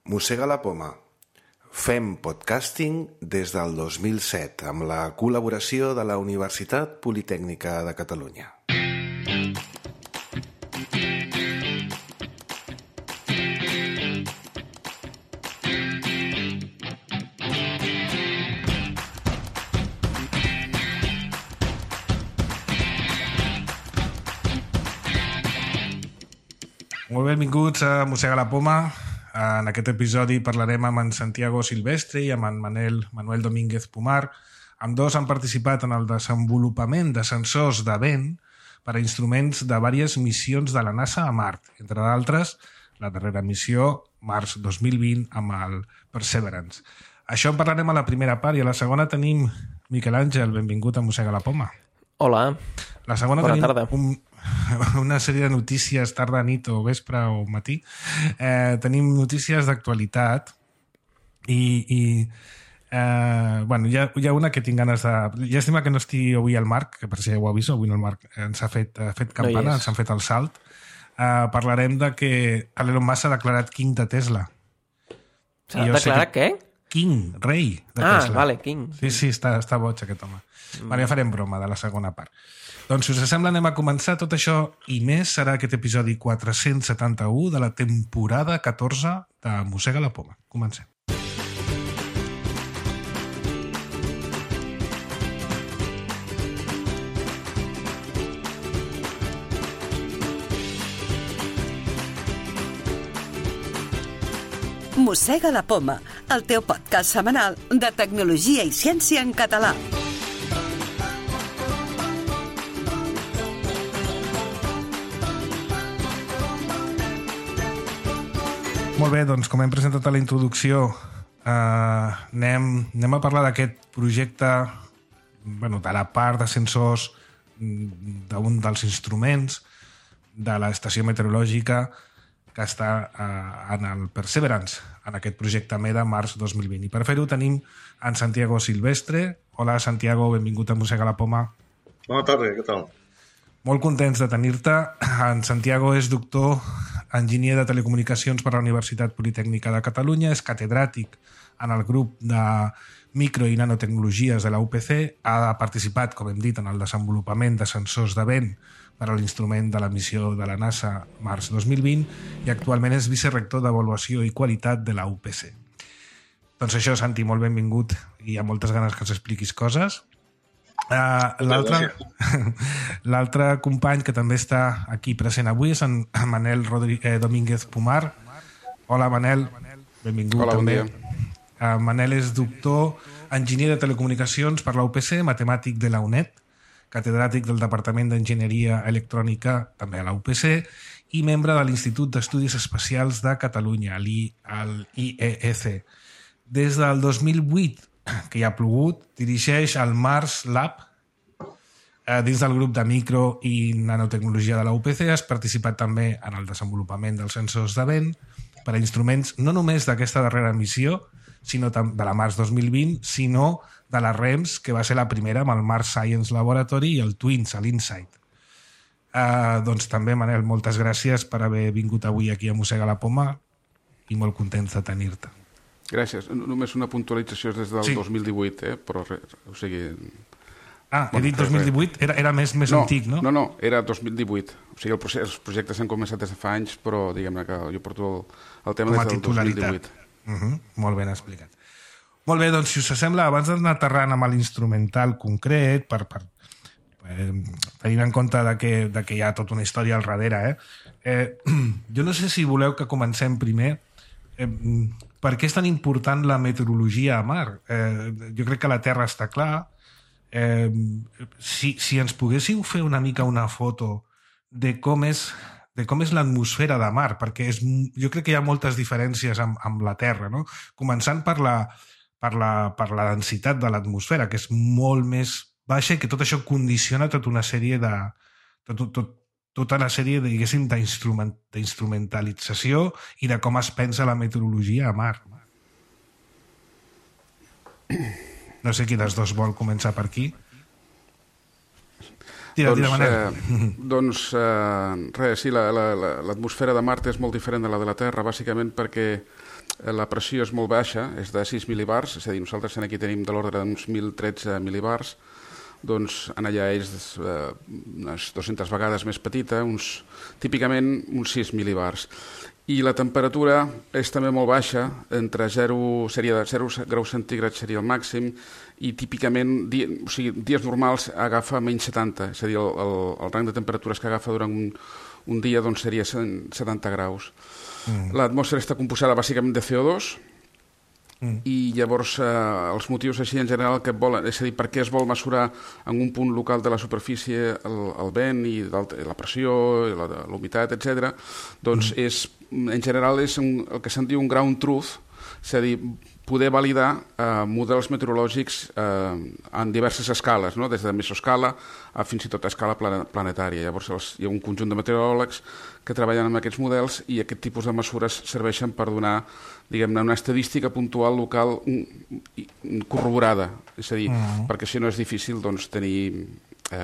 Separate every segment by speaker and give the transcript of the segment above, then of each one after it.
Speaker 1: Mossega la poma. Fem podcasting des del 2007 amb la col·laboració de la Universitat Politècnica de Catalunya.
Speaker 2: Molt benvinguts a Mossega la poma. En aquest episodi parlarem amb en Santiago Silvestre i amb en Manuel Domínguez Pomar. Ambdós han participat en el desenvolupament de sensors de vent per a instruments de diverses missions de la NASA a Mart, entre d'altres, la darrera missió, març 2020, amb el Perseverance. Això en parlarem a la primera part i a la segona tenim Miquel Àngel, benvingut a Mossega la poma.
Speaker 3: Hola,
Speaker 2: la segona
Speaker 3: bona
Speaker 2: tenim
Speaker 3: tarda.
Speaker 2: Una sèrie de notícies tarda, nit o vespre o matí. Tenim notícies d'actualitat i bueno, hi ha una que tinc ganes de... Llàstima que no estigui avui el Marc, que per si ho aviso, avui no el Marc ens ha fet campana, no ens han fet el salt. Parlarem de que Elon Musk ha declarat king de Tesla.
Speaker 3: S'ha declarat què?
Speaker 2: King, rei de Tesla.
Speaker 3: Vale, king.
Speaker 2: Sí, està boig aquest home. Vale, ja farem broma de la segona part. Doncs, si us sembla, anem a començar. Tot això i més serà aquest episodi 471 de la temporada 14 de Mossega la poma. Comencem.
Speaker 4: Mossega la poma, el teu podcast setmanal de tecnologia i ciència en català.
Speaker 2: Molt bé, doncs com hem presentat a la introducció, anem a parlar d'aquest projecte, bueno, de la part de sensors d'un dels instruments de l'estació meteorològica que està en el Perseverance, en aquest projecte MEDA març 2020. I per fer-ho tenim en Santiago Silvestre. Hola, Santiago, benvingut a Mossega la poma.
Speaker 5: Bona tarda, què tal?
Speaker 2: Molt contents de tenir-te. En Santiago és doctor enginyer de telecomunicacions per la Universitat Politècnica de Catalunya, és catedràtic en el grup de micro i nanotecnologies de la UPC, ha participat, com hem dit, en el desenvolupament de sensors de vent per a l'instrument de la missió de la NASA març 2020 i actualment és vicerector d'avaluació i qualitat de la UPC. Doncs això, Santi, molt benvingut i hi ha moltes ganes que ens expliquis coses. L'altre company que també està aquí present avui és en Manuel Domínguez Pomar. Hola, Manel, benvingut.
Speaker 6: Hola,
Speaker 2: també.
Speaker 6: Bon dia.
Speaker 2: Manel és doctor enginyer de telecomunicacions per la UPC, matemàtic de la UNED, catedràtic del Departament d'Enginyeria Electrònica, també a la UPC, i membre de l'Institut d'Estudis Espacials de Catalunya, l'IEEC. Des del 2008, que hi ha plogut, dirigeix el Mars Lab dins del grup de micro i nanotecnologia de la UPC. Has participat també en el desenvolupament dels sensors de vent per a instruments no només d'aquesta darrera missió, sinó de la març 2020, sinó de la REMS, que va ser la primera amb el Mars Science Laboratory i el TWINS, l'InSight. Doncs també, Manel, moltes gràcies per haver vingut avui aquí a Mossega la poma i molt contents de tenir-te.
Speaker 6: Gràcies. Només una puntualització des del 2018, però res, o sigui...
Speaker 2: He dit 2018? Era més antic, no?
Speaker 6: No, era 2018. O sigui, els projectes s'han començat des de fa anys, però diguem-ne que jo porto el tema des del 2018.
Speaker 2: Molt ben explicat. Molt bé, doncs, si us sembla, abans d'anar aterrant amb l'instrumental concret, tenint en compte que hi ha tota una història al darrere, jo no sé si voleu que comencem primer. Per què és tan important la meteorologia a mar? Jo crec que la Terra està clar. Si ens poguéssiu fer una mica una foto de com és l'atmosfera de mar, perquè jo crec que hi ha moltes diferències amb la Terra, no? Començant per la densitat de l'atmosfera, que és molt més baixa i que tot això condiciona tota una sèrie diguéssim, d'instrumentalització i de com es pensa la meteorologia a mar. No sé qui dels dos vol començar per aquí. Tira, Manel.
Speaker 6: Doncs res, sí, l'atmosfera de Mart és molt diferent de la de la Terra, bàsicament perquè la pressió és molt baixa, és de 6 mil·libars, és a dir, nosaltres aquí tenim de l'ordre d'uns 1.013 mil·libars, doncs en allà és unes 200 vegades més petita, típicament uns 6 mil·libars. I la temperatura és també molt baixa, entre 0 graus centígrads seria el màxim, i típicament, dies normals agafa menys 70, és a dir, el rang de temperatures que agafa durant un dia doncs, seria 70 graus. L'atmosfera està composada bàsicament de CO2, i llavors els motius així en general que volen, és a dir, per què es vol mesurar en un punt local de la superfície el vent i la pressió, la humitat, etc. Doncs en general és el que se'n diu un ground truth, és a dir, poder validar models meteorològics en diverses escales, no? Des de mesoscala a fins i tot a escala planetària. Llavors hi ha un conjunt de meteoròlegs que treballen amb aquests models i aquest tipus de mesures serveixen per donar, diguem-ne, una estadística puntual local corroborada. És a dir, perquè si no és difícil doncs, tenir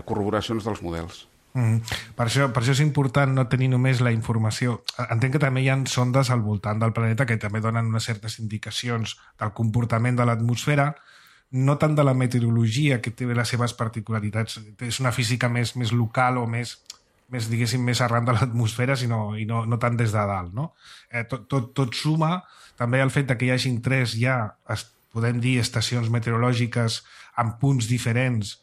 Speaker 6: corroboracions dels models.
Speaker 2: Per això és important no tenir només la informació. Entenc que també hi ha sondes al voltant del planeta que també donen unes certes indicacions del comportament de l'atmosfera, no tant de la meteorologia, que té les seves particularitats. És una física més local o més diguéssim, més arran de l'atmosfera, i no tant des de dalt. No? Tot suma també el fet que hi hagin 3 podem dir, estacions meteorològiques en punts diferents,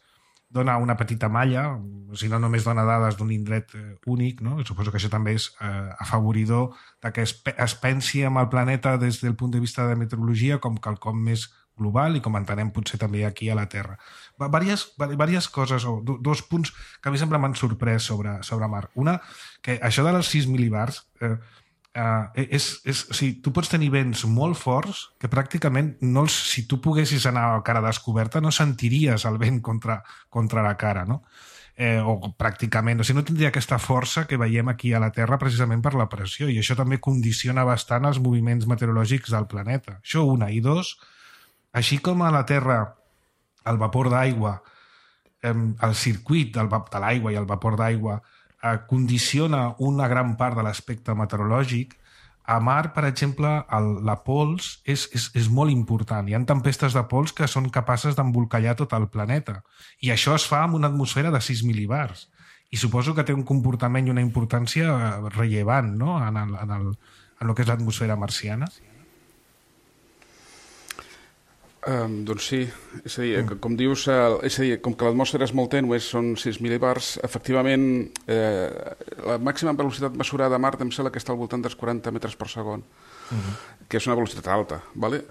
Speaker 2: dona una petita malla, si no només dona dades d'un indret únic, no? Suposo que això també és afavoridor que es pensi en el planeta des del punt de vista de meteorologia com quelcom més global i com entenem potser també aquí a la Terra. Vàries coses, o dos punts que a mi sempre m'han sorprès sobre Mart. Una, que això de les 6 mil·libars tu pots tenir vents molt forts que pràcticament si tu poguessis anar a cara descoberta no sentiries el vent contra la cara, no? O pràcticament, no tindria aquesta força que veiem aquí a la Terra precisament per la pressió, i això també condiciona bastant els moviments meteorològics del planeta. Això una. I dos, així com a la Terra el vapor d'aigua, el circuit de l'aigua i el vapor d'aigua condiciona una gran part de l'aspecte meteorològic, a Mart, per exemple, la pols és molt important. Hi ha tempestes de pols que són capaces d'embolcallar tot el planeta. I això es fa amb una atmosfera de 6 mil·libars. I suposo que té un comportament i una importància rellevant, no? en el que és l'atmosfera marciana.
Speaker 6: Doncs sí, és a dir, com dius, com que l'atmosfera és molt tènue, són 6 mil·libars, efectivament la màxima velocitat mesurada a Mart em sembla que està al voltant dels 40 metres per segon, que és una velocitat alta, ¿vale?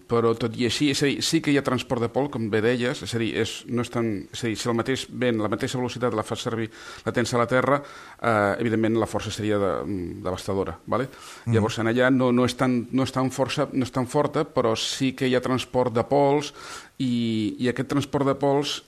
Speaker 6: Però tot i així, és a dir, sí que hi ha transport de pols, com bé deies, és a dir, si el mateix vent, la mateixa velocitat la fas servir, la tens a la Terra, evidentment la força seria devastadora, ¿vale? Llavors en allà no és tan forta, però sí que hi ha transport de pols i aquest transport de pols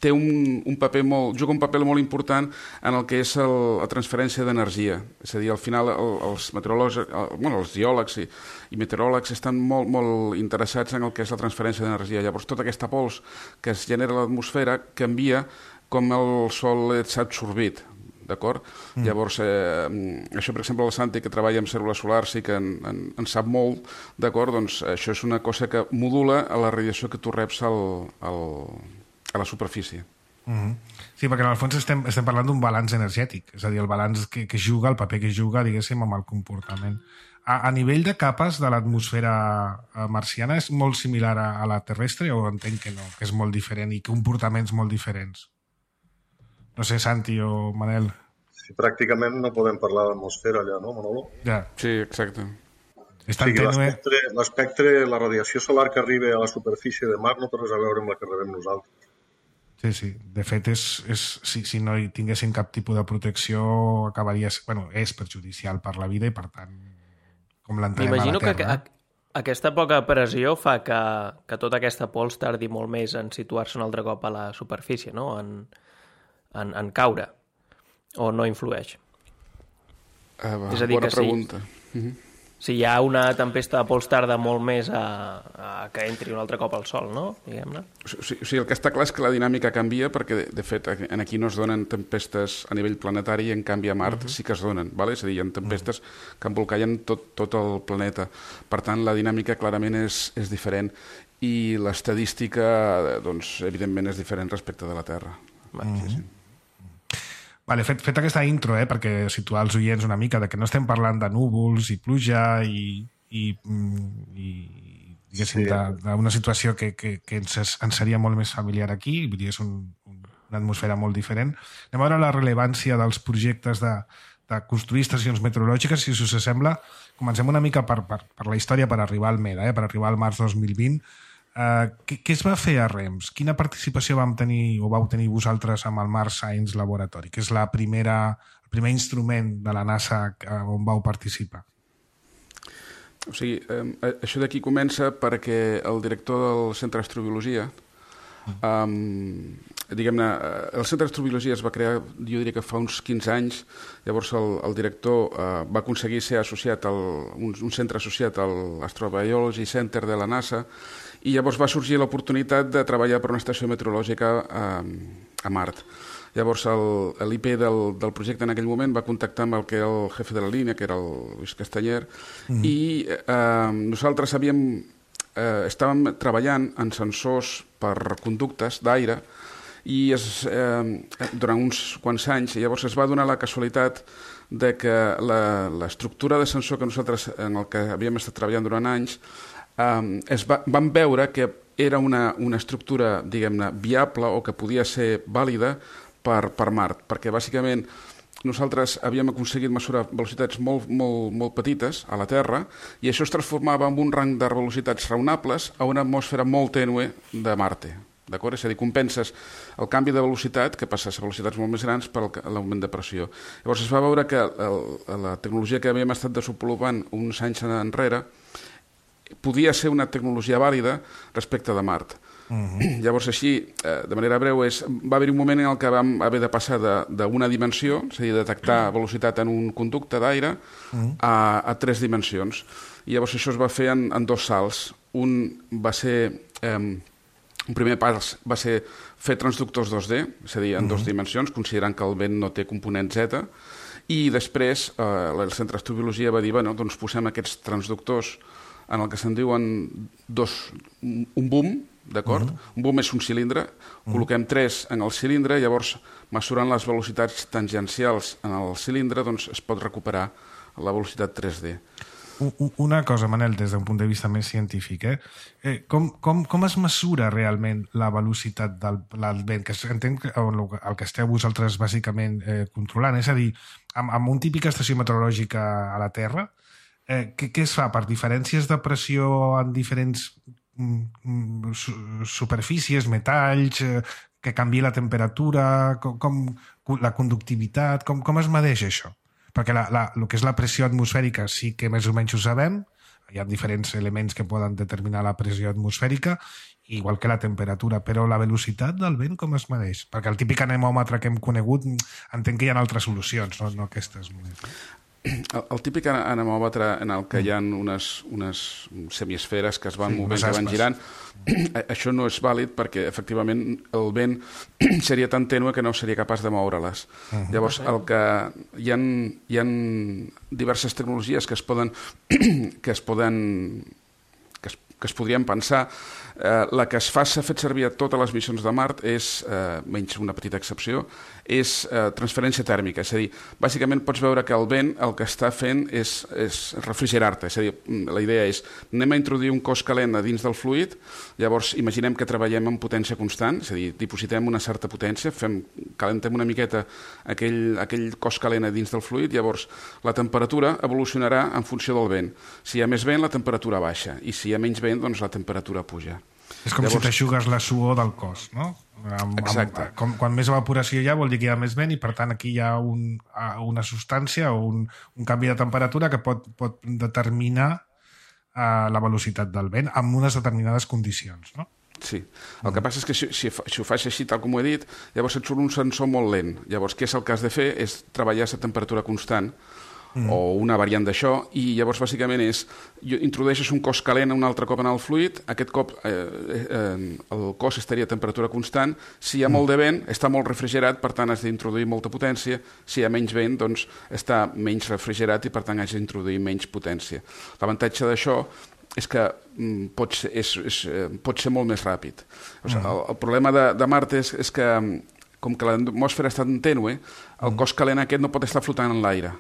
Speaker 6: té juga un paper molt important en el que és la transferència d'energia. És a dir, al final els meteoròlegs, els geòlegs i meteoròlegs estan molt interessats en el que és la transferència d'energia. Llavors, tota aquesta pols que es genera a l'atmosfera canvia com el Sol és absorbit. D'acord? Llavors, això, per exemple, el Santi, que treballa amb cèl·lules solars i que en sap molt, d'acord? Doncs això és una cosa que modula la radiació que tu reps a la superfície.
Speaker 2: Sí, perquè en el fons estem parlant d'un balanç energètic, és a dir, el balanç que juga, el paper que juga, diguéssim, amb el comportament. A nivell de capes de l'atmosfera marciana és molt similar a la terrestre o entenc que no, que és molt diferent i comportaments molt diferents? No sé, Santi o Manel.
Speaker 5: Sí, pràcticament no podem parlar d'atmosfera allà, no, Manolo?
Speaker 2: Ja.
Speaker 6: Sí, exacte.
Speaker 5: L'espectre, la radiació solar que arriba a la superfície de Mart no té res a veure amb la que rebem nosaltres.
Speaker 2: Sí. De fet, si no hi tinguessin cap tipus de protecció, acabaria... és perjudicial per la vida i, per tant, com l'entenem a la Terra.
Speaker 3: M'imagino que aquesta poca pressió fa que tota aquesta pols tardi molt més en situar-se un altre cop a la superfície, no? En caure. O no influeix?
Speaker 6: És a dir, bona pregunta.
Speaker 3: Si hi ha una tempesta de pols tarda molt més a que entri un altre cop al sol, no? Diguem-ne.
Speaker 6: O sigui, el que està clar és que la dinàmica canvia perquè, de fet, aquí no es donen tempestes a nivell planetari i, en canvi, a Mart sí que es donen. Vale? És a dir, hi ha tempestes que embolcallen tot el planeta. Per tant, la dinàmica clarament és diferent i l'estadística, doncs, evidentment, és diferent respecte de la Terra. Sí.
Speaker 2: Vale, fet aquesta intro, perquè situar els oients una mica de que no estem parlant de núvols i pluja i diguéssim, d'una situació que ens seria molt més familiar aquí, vull dir, és una atmosfera molt diferent. Anem a veure la rellevància dels projectes de construir estacions meteorològiques, si us sembla. Comencem una mica per la història, per arribar al MEDA, per arribar al març 2020. Què es va fer a REMS? Quina participació vau tenir vosaltres amb el Mars Science Laboratory, que és el primer instrument de la NASA on vau participar?
Speaker 6: O sigui, això d'aquí comença perquè el director del Centre d'Astrobiologia, diguem-ne, el Centre d'Astrobiologia es va crear, jo diria que fa uns 15 anys, llavors el director va aconseguir ser associat un centre associat a l'Astrobiology Center de la NASA, i llavors va sorgir l'oportunitat de treballar per una estació meteorològica a Mart. Llavors l'IP del projecte en aquell moment va contactar amb el que era el jefe de la línia, que era el Luis Castanyer, i nosaltres estàvem treballant en sensors per conductes d'aire i durant uns quants anys, llavors es va donar la casualitat de que l'estructura de sensor que nosaltres en el que havíem estat treballant durant anys vam veure que era una estructura, diguem-ne, viable o que podia ser vàlida per Mart, perquè bàsicament nosaltres havíem aconseguit mesurar velocitats molt petites a la Terra i això es transformava en un rang de velocitats raonables a una atmosfera molt tènue de Marte. D'acord? És a dir, compenses el canvi de velocitat, que passes a velocitats molt més grans, per l'augment de pressió. Llavors es va veure que la tecnologia que havíem estat desenvolupant uns anys enrere podia ser una tecnologia vàlida respecte de Mart. Llavors, així, de manera breu, va haver un moment en què vam haver de passar d'una dimensió, és a dir, detectar velocitat en un conducte d'aire, a 3 dimensions. I llavors això es va fer en 2 salts. Un primer pas va ser fer transductors 2D, és a dir, en 2 dimensions, considerant que el vent no té component Z, i després el Centre d'Astrobiologia va dir, bueno, doncs posem aquests transductors en el que se'n diuen un boom, d'acord? Un boom és un cilindre, col·loquem 3 en el cilindre, llavors, mesurant les velocitats tangencials en el cilindre, doncs es pot recuperar la velocitat 3D.
Speaker 2: Una cosa, Manel, des d'un punt de vista més científic, com es mesura realment la velocitat del vent? Que entenc que el que esteu vosaltres bàsicament controlant, és a dir, amb una típica estació meteorològica a la Terra, què es fa? Per diferències de pressió en diferents superfícies, metalls, que canvi la temperatura, la conductivitat, com es medeix això? Perquè el que és la pressió atmosfèrica sí que més o menys ho sabem, hi ha diferents elements que poden determinar la pressió atmosfèrica, igual que la temperatura, però la velocitat del vent com es medeix? Perquè el típic anemòmetre que hem conegut entenc que hi ha altres solucions, no aquestes.
Speaker 6: El típic anemòmetre en el que hi ha unes semiesferes que es van movent, que van girant, això no és vàlid perquè efectivament el vent seria tan tènue que no seria capaç de moure-les. Llavors, hi ha diverses tecnologies que es podrien pensar. La que s'ha fet servir a totes les missions de Mart és, menys una petita excepció, és transferència tèrmica. És a dir, bàsicament pots veure que el vent el que està fent és refrigerar-te. És a dir, la idea és, anem a introduir un cos calent a dins del fluid, llavors imaginem que treballem amb potència constant, és a dir, dipositem una certa potència, calentem una miqueta aquell cos calent a dins del fluid, llavors la temperatura evolucionarà en funció del vent. Si hi ha més vent, la temperatura baixa, i si hi ha menys vent, doncs la temperatura puja.
Speaker 2: És com si t'aixugues la suor del cos, no?
Speaker 6: Exacte.
Speaker 2: Quan més evaporació hi ha vol dir que hi ha més vent i per tant aquí hi ha una substància o un canvi de temperatura que pot determinar la velocitat del vent amb unes determinades condicions, no?
Speaker 6: Sí. El que passa és que si ho fas així, tal com ho he dit, llavors et surt un sensor molt lent. Llavors, què és el que has de fer? És treballar a temperatura constant o una variant d'això, i llavors bàsicament introdueixes un cos calent un altre cop en el fluid, aquest cop el cos estaria a temperatura constant, si hi ha molt de vent està molt refrigerat, per tant has d'introduir molta potència, si hi ha menys vent doncs està menys refrigerat i per tant has d'introduir menys potència. L'avantatge d'això és que pot ser molt més ràpid. El problema de Marte és que, com que l'atmosfera està tan tènue, el cos calent aquest no pot estar flotant en l'aire.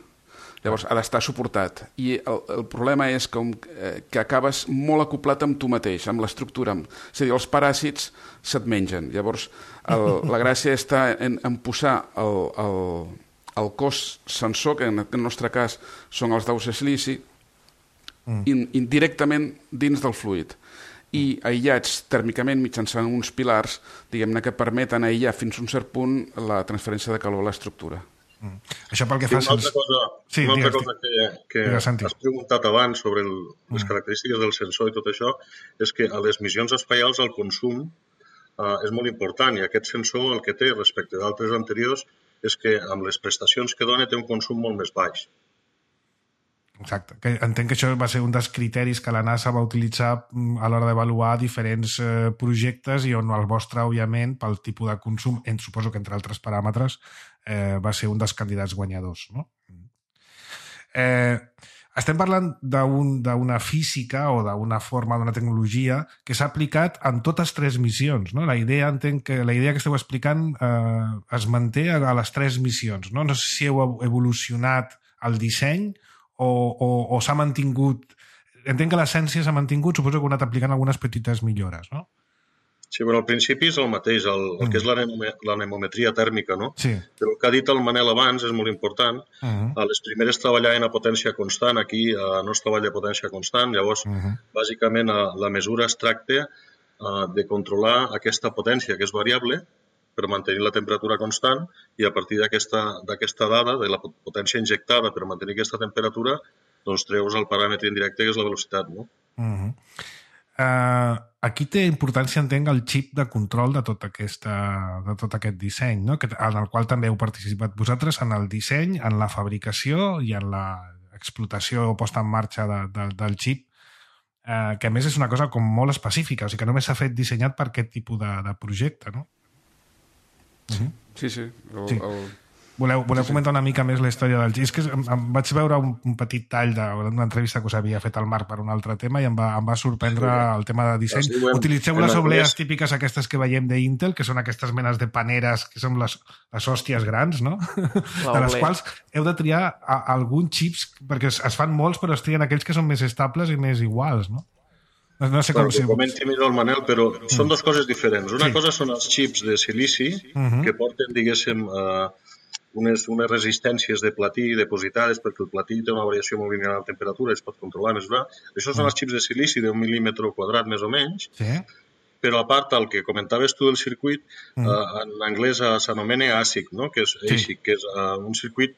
Speaker 6: Llavors ha d'estar suportat. I el problema és que acabes molt acoplat amb tu mateix, amb l'estructura. És a dir, els paràsits se't mengen. Llavors la gràcia està en posar el cos sensor, que en el nostre cas són els daus de silici, indirectament dins del fluid i aïllats tèrmicament mitjançant uns pilars, diguem-ne, que permeten aïllar fins a un cert punt la transferència de calor a l'estructura.
Speaker 2: Això pel que fa...
Speaker 5: Una altra cosa que has preguntat abans sobre les característiques del sensor i tot això és que a les missions espacials el consum és molt important i aquest sensor el que té respecte d'altres anteriors és que amb les prestacions que dona té un consum molt més baix.
Speaker 2: Exacte. Entenc que això va ser un dels criteris que la NASA va utilitzar a l'hora d'avaluar diferents projectes i on el vostre, òbviament, pel tipus de consum, suposo que entre altres paràmetres, va ser un dels candidats guanyadors. No? Estem parlant d'una física o d'una forma, d'una tecnologia que s'ha aplicat en totes tres missions. No? La idea que esteu explicant es manté a les tres missions. No sé si heu evolucionat el disseny o s'ha mantingut... Entenc que l'essència s'ha mantingut, suposo que heu anat aplicant algunes petites millores, no?
Speaker 5: Sí, però al principi és el mateix, el que és l'anemometria tèrmica, no?
Speaker 2: Sí.
Speaker 5: Però el que ha dit el Manel abans és molt important. A les primeres treballaven a potència constant, aquí no es treballa a potència constant, llavors, bàsicament, la mesura es tracta de controlar aquesta potència, que és variable, per mantenir la temperatura constant i a partir d'aquesta dada, de la potència injectada per mantenir aquesta temperatura, doncs treus el paràmetre indirecte, que és la velocitat, no?
Speaker 2: Aquí té importància, entenc, el xip de control de tot aquest disseny, no? En el qual també heu participat vosaltres en el disseny, en la fabricació i en l'explotació o posta en marxa del xip, que a més és una cosa com molt específica, o sigui que només s'ha fet dissenyat per aquest tipus de projecte, no?
Speaker 6: Sí.
Speaker 2: Voleu comentar una mica més la història del xip? És que em vaig veure un petit tall d'una entrevista que us havia fet al Marc per un altre tema i em va sorprendre el tema de disseny. Utilitzeu les oblees típiques aquestes que veiem d'Intel, que són aquestes menes de paneres que són les hòsties grans, no? De les quals heu de triar alguns xips, perquè es fan molts, però es trien aquells que són més estables i més iguals, no? No sé com
Speaker 5: si... Comenti millor el Manel, però són dues coses diferents. Una cosa són els xips de silici, que porten, diguéssim, unes resistències de platí depositades, perquè el platí té una variació molt lineal de temperatura i es pot controlar més bé. Això són els xips de silici d'1 mil·límetre quadrat, més o menys, però a part, el que comentaves tu del circuit, en anglès s'anomena ASIC, no? Que és un circuit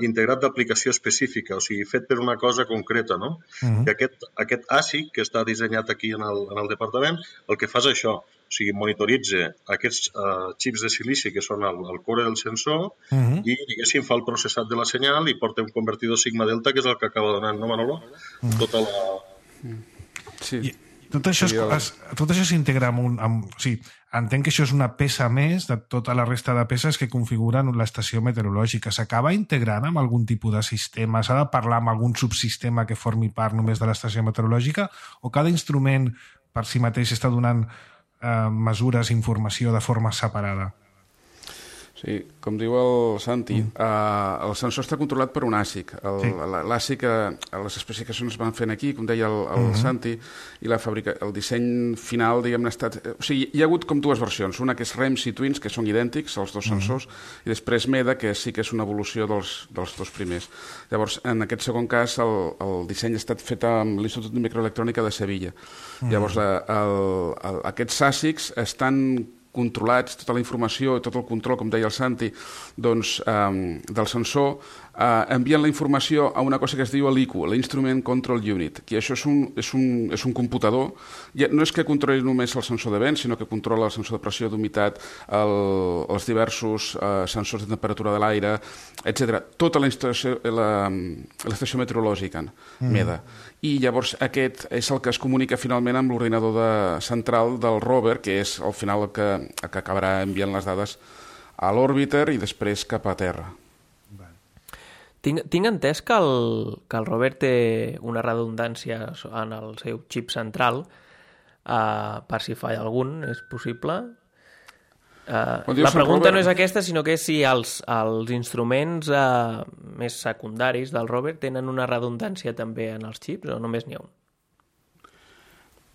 Speaker 5: integrat d'aplicació específica, o sigui, fet per una cosa concreta, no? Que aquest ASIC, que està dissenyat aquí en el departament, el que fa és això, o sigui, monitoritza aquests xips de silici que són el core del sensor i, diguéssim, fa el processat de la senyal i porta un convertidor sigma-delta, que és el que acaba donant, no, Manolo? Tota la...
Speaker 6: Sí.
Speaker 2: Tot això s'integra amb... O sigui, entenc que això és una peça més de tota la resta de peces que configuren l'estació meteorològica. S'acaba integrant amb algun tipus de sistema? S'ha de parlar amb algun subsistema que formi part només de l'estació meteorològica? O cada instrument per si mateix està donant mesures, informació de forma separada?
Speaker 6: Sí, com diu el Santi, el sensor està controlat per un ASIC. L'ASIC, les especificacions es van fent aquí, com deia el Santi, i el disseny final, diguem-ne, ha estat... O sigui, hi ha hagut com dues versions. Una que és REMS i Twins, que són idèntics, els dos sensors, i després MEDA, que sí que és una evolució dels dos primers. Llavors, en aquest segon cas, el disseny ha estat fet amb l'Institut de Microelectrònica de Sevilla. Llavors, aquests ASICs estan controlats, tota la informació i tot el control, com deia el Santi, doncs, del sensor, envien la informació a una cosa que es diu l'ICU, l'Instrument Control Unit, que això és un computador. No és que controli només el sensor de vent, sinó que controla el sensor de pressió, d'humitat, els diversos sensors de temperatura de l'aire, etc. Tota l'estació meteorològica, MEDA. I llavors aquest és el que es comunica finalment amb l'ordinador central del rover, que és al final el que acabarà enviant les dades a l'òrbiter i després cap a terra.
Speaker 3: Tinc entès que el rover té una redundància en el seu xip central per si falla algun, és possible? La pregunta no és aquesta, sinó que és si els instruments més secundaris del rover tenen una redundància també en els xips o només n'hi ha un?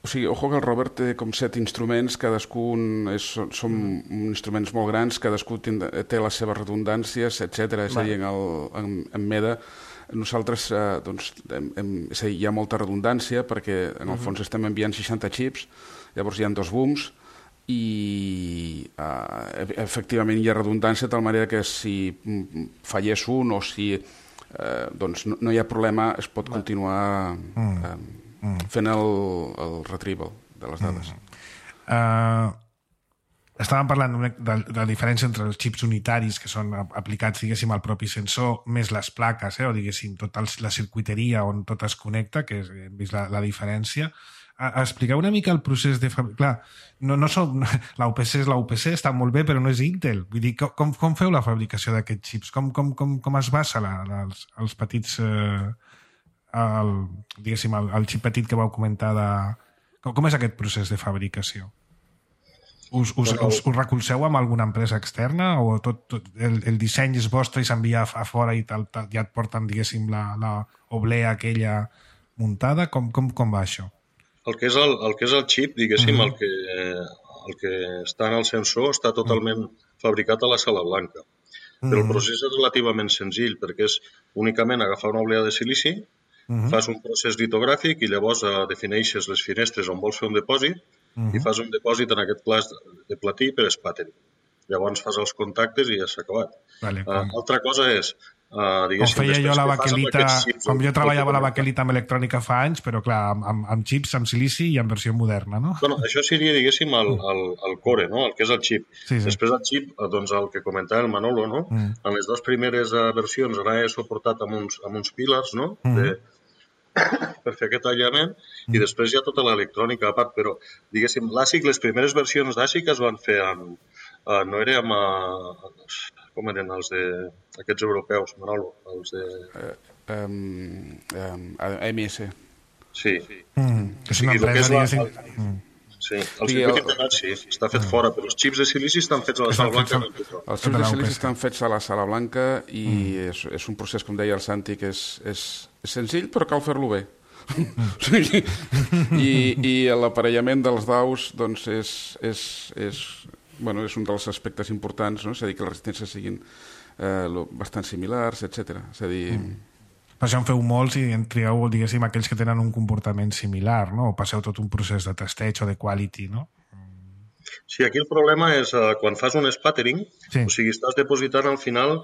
Speaker 6: O sigui, ojo que el rover té com 7 instruments, cadascun són instruments molt grans, cadascú té les seves redundàncies, etc. És a dir, en MEDA nosaltres doncs, hi ha molta redundància perquè en el fons estem enviant 60 xips, llavors hi ha 2 booms i efectivament hi ha redundància de tal manera que si fallés un o si doncs no hi ha problema, es pot continuar fent el retrieval de les dades.
Speaker 2: Estàvem parlant de la diferència entre els xips unitaris que són aplicats, diguéssim, al propi sensor, més les plaques, o diguéssim, tota la circuiteria on tot es connecta, que hem vist la diferència. Expliqueu una mica el procés de fabricació. Clar, l'UPC és l'UPC, està molt bé, però no és Intel. Vull dir, com feu la fabricació d'aquests xips? Com es basa els petits... el xip petit que vau comentar com és aquest procés de fabricació? Us recolzeu amb alguna empresa externa o tot el disseny és vostre i s'envia a fora i ja et porten, diguéssim, la oblea aquella muntada? Com va això?
Speaker 5: El que és el xip, diguéssim, el que està en el sensor està totalment fabricat a la sala blanca. Però el procés és relativament senzill perquè és únicament agafar una oblea de silici, fas un procés litogràfic i llavors defineixes les finestres on vols fer un depòsit i fas un depòsit en aquest cas de platí per espàteri. Llavors fas els contactes i ja s'ha acabat. Altra cosa és...
Speaker 2: com feia jo la baquelita, com jo treballava la baquelita amb electrònica fa anys, però clar, amb xips, amb silici i en versió moderna, no?
Speaker 5: Bueno, això seria, diguéssim, el core, no? El que és el xip. Després del xip, doncs el que comentava el Manolo, no? En les dues primeres versions anava suportat amb uns pílars, no? Per fer aquest aïllament, i després hi ha tota l'electrònica a part, però, diguéssim, l'ASIC, les primeres versions d'ASIC es van fer no era amb... Com eren els aquests europeus, Manolo? Els de...
Speaker 6: AMS.
Speaker 5: Sí.
Speaker 2: És una empresa, diguéssim...
Speaker 5: Sí, el circuit integrat sí, està fet fora, però els xips de silici estan fets a la sala blanca.
Speaker 6: Els xips de silici estan fets a la sala blanca i és un procés, com deia el Santi, que és senzill, però cal fer-lo bé. I l'aparellament dels daus doncs és un dels aspectes importants, no? És a dir, que les resistències siguin bastant similars, etc. És a dir...
Speaker 2: Per això en feu molts i en trieu, diguéssim, aquells que tenen un comportament similar, no? O passeu tot un procés de testeig o de quality, no?
Speaker 5: Sí, aquí el problema és quan fas un spattering, o sigui, estàs depositant al final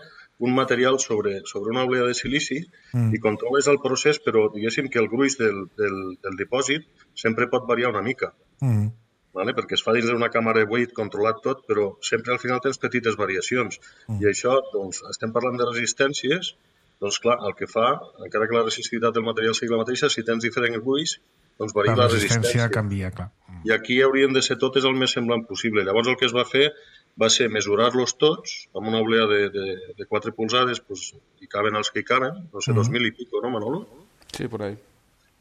Speaker 5: un material sobre una oblea de silici i controles el procés, però diguéssim que el gruix del dipòsit sempre pot variar una mica. Vale? Perquè es fa dins d'una càmera de weight controlat tot, però sempre al final tens petites variacions. I això, doncs, estem parlant de resistències, doncs clar, el que fa, encara que la resistivitat del material sigui la mateixa, si tens diferents gruix, doncs varia la resistència.
Speaker 2: Canvia, clar.
Speaker 5: I aquí haurien de ser totes el més semblant possible. Llavors el que es va fer va ser mesurar-los tots amb una oblea de 4 polzades, doncs, hi caben els que hi caben, no sé, 2.000 i pico, no, Manolo?
Speaker 6: Sí, por ahí.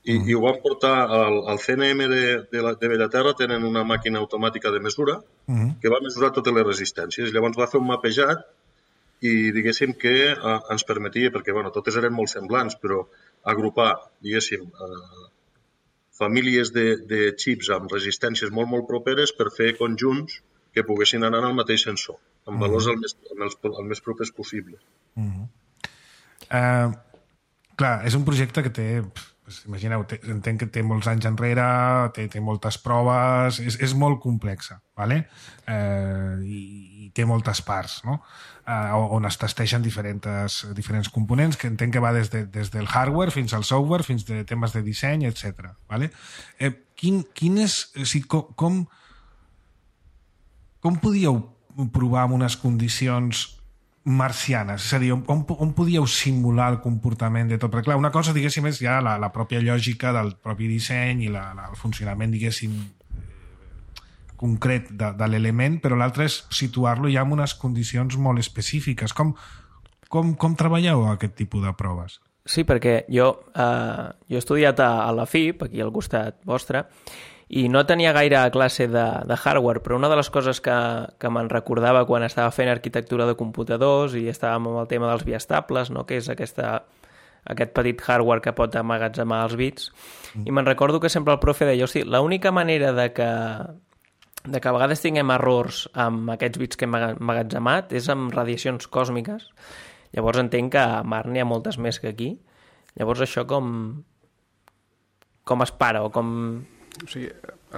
Speaker 5: I ho van portar al CNM de Bellaterra, tenen una màquina automàtica de mesura que va mesurar totes les resistències. Llavors va fer un mapejat i diguéssim que ens permetia, perquè totes eren molt semblants, però agrupar, diguéssim, famílies de xips amb resistències molt, molt properes per fer conjunts que poguessin anar al mateix sensor, amb valors el més propers possible.
Speaker 2: Clar, és un projecte que té imagineu, entenc que té molts anys enrere, té moltes proves, és molt complexa, ¿vale? I té moltes parts, no? On es testegen diferents components, que entenc que va des del hardware fins al software, fins de temes de disseny, etc. ¿Vale? Quin és... O sigui, com podíeu provar amb unes condicions marcianes? És a dir, on podíeu simular el comportament de tot? Perquè, clar, una cosa, diguéssim, és ja la pròpia lògica del propi disseny i el funcionament, diguéssim, concret de l'element, però l'altre és situar-lo ja en unes condicions molt específiques. Com treballeu aquest tipus de proves?
Speaker 3: Sí, perquè jo he estudiat a la FIP, aquí al costat vostre, i no tenia gaire classe de hardware, però una de les coses que me'n recordava quan estava fent arquitectura de computadors i estàvem amb el tema dels biestables, no? Que és aquest petit hardware que pot emmagatzemar els bits, i me'n recordo que sempre el profe deia, hosti, l'única manera de que a vegades tinguem errors amb aquests bits que hem emmagatzemat és amb radiacions còsmiques. Llavors entenc que a Mart n'hi ha moltes més que aquí. Llavors això com es para o com...
Speaker 6: O sigui,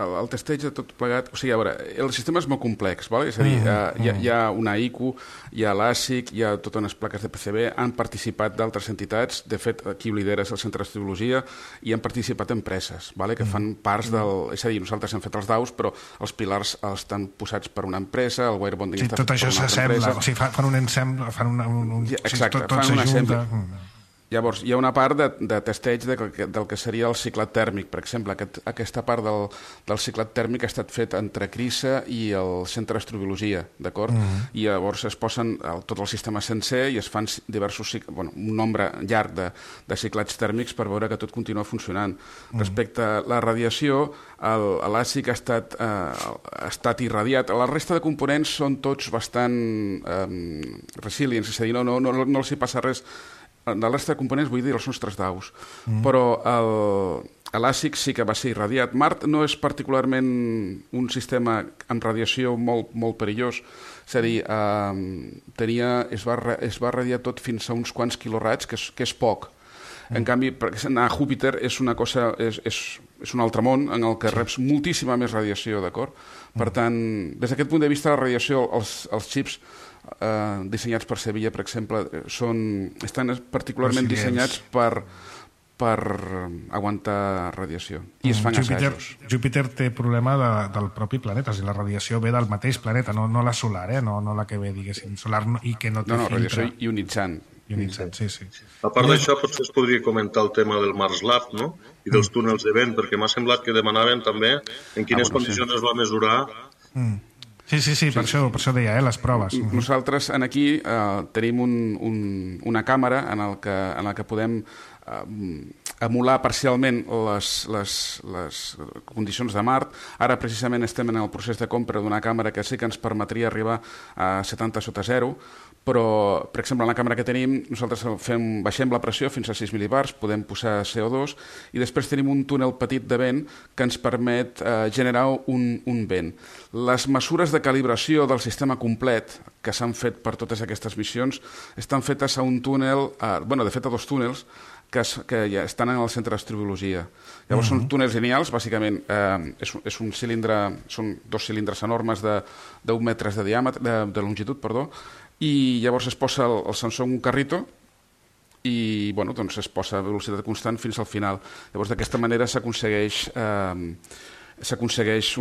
Speaker 6: el testeig de tot plegat... O sigui, a veure, el sistema és molt complex, ¿vale? És a dir, hi ha una IQ, hi ha l'ASIC, hi ha totes unes plaques de PCB, han participat d'altres entitats, de fet, qui ho lidera és el Centre d'Astrologia, i han participat empreses, ¿vale? Que fan parts del... És a dir, nosaltres hem fet els daus, però els pilars estan posats per una empresa, el wirebonding està fet per una altra empresa... Tot això s'assembla,
Speaker 2: o sigui, fan un ensemble,
Speaker 6: exacte, fan un ensemble. Llavors, hi ha una part de testeig del que seria el ciclat tèrmic. Per exemple, aquesta part del ciclat tèrmic ha estat fet entre CRISA i el Centre d'Astrobiologia, d'acord? I llavors es posen tot el sistema sencer i es fan un nombre llarg de ciclats tèrmics per veure que tot continua funcionant. Respecte a la radiació, l'àcic ha estat irradiat. La resta de components són tots bastant resilients, és a dir, no els hi passa res. De la resta de components, vull dir, els nostres daus. Però l'àcic sí que va ser irradiat. Mart no és particularment un sistema amb radiació molt, molt perillós. És a dir, es va radiar tot fins a uns quants quiloraigs, que és poc. En canvi, anar a Júpiter és una cosa, és un altre món en el que reps moltíssima més radiació, d'acord? Per tant, des d'aquest punt de vista, la radiació, els xips dissenyats per Sevilla, per exemple, estan particularment dissenyats per aguantar radiació. I es fan assajos.
Speaker 2: Júpiter té problema del propi planeta, o sigui, la radiació ve del mateix planeta, no la solar, no la que ve, diguéssim, solar i que no té filtre.
Speaker 6: No, radiació ionitzant.
Speaker 2: Sí.
Speaker 5: A part d'això, potser es podria comentar el tema del Mars Lab, no? I dels túnels de vent, perquè m'ha semblat que demanaven també en quines condicions es va mesurar.
Speaker 2: Sí, per això deia, les proves.
Speaker 6: Nosaltres aquí tenim una càmera en la que podem emular parcialment les condicions de Mart. Ara precisament estem en el procés de compra d'una càmera que sí que ens permetria arribar a 70 sota zero, però, per exemple, en la càmera que tenim, nosaltres baixem la pressió fins a 6 mil·libars, podem posar CO2, i després tenim un túnel petit de vent que ens permet generar un vent. Les mesures de calibració del sistema complet que s'han fet per totes aquestes missions estan fetes a un túnel, de fet a dos túnels, que ja estan en el Centre d'Astrobiologia. Llavors són túnels lineals, bàsicament és un cilindre, són dos cilindres enormes d'1 metres de diàmetre, de longitud, perdó, i llavors es posa el sensor en un carrito i es posa a velocitat constant fins al final. Llavors d'aquesta manera s'aconsegueix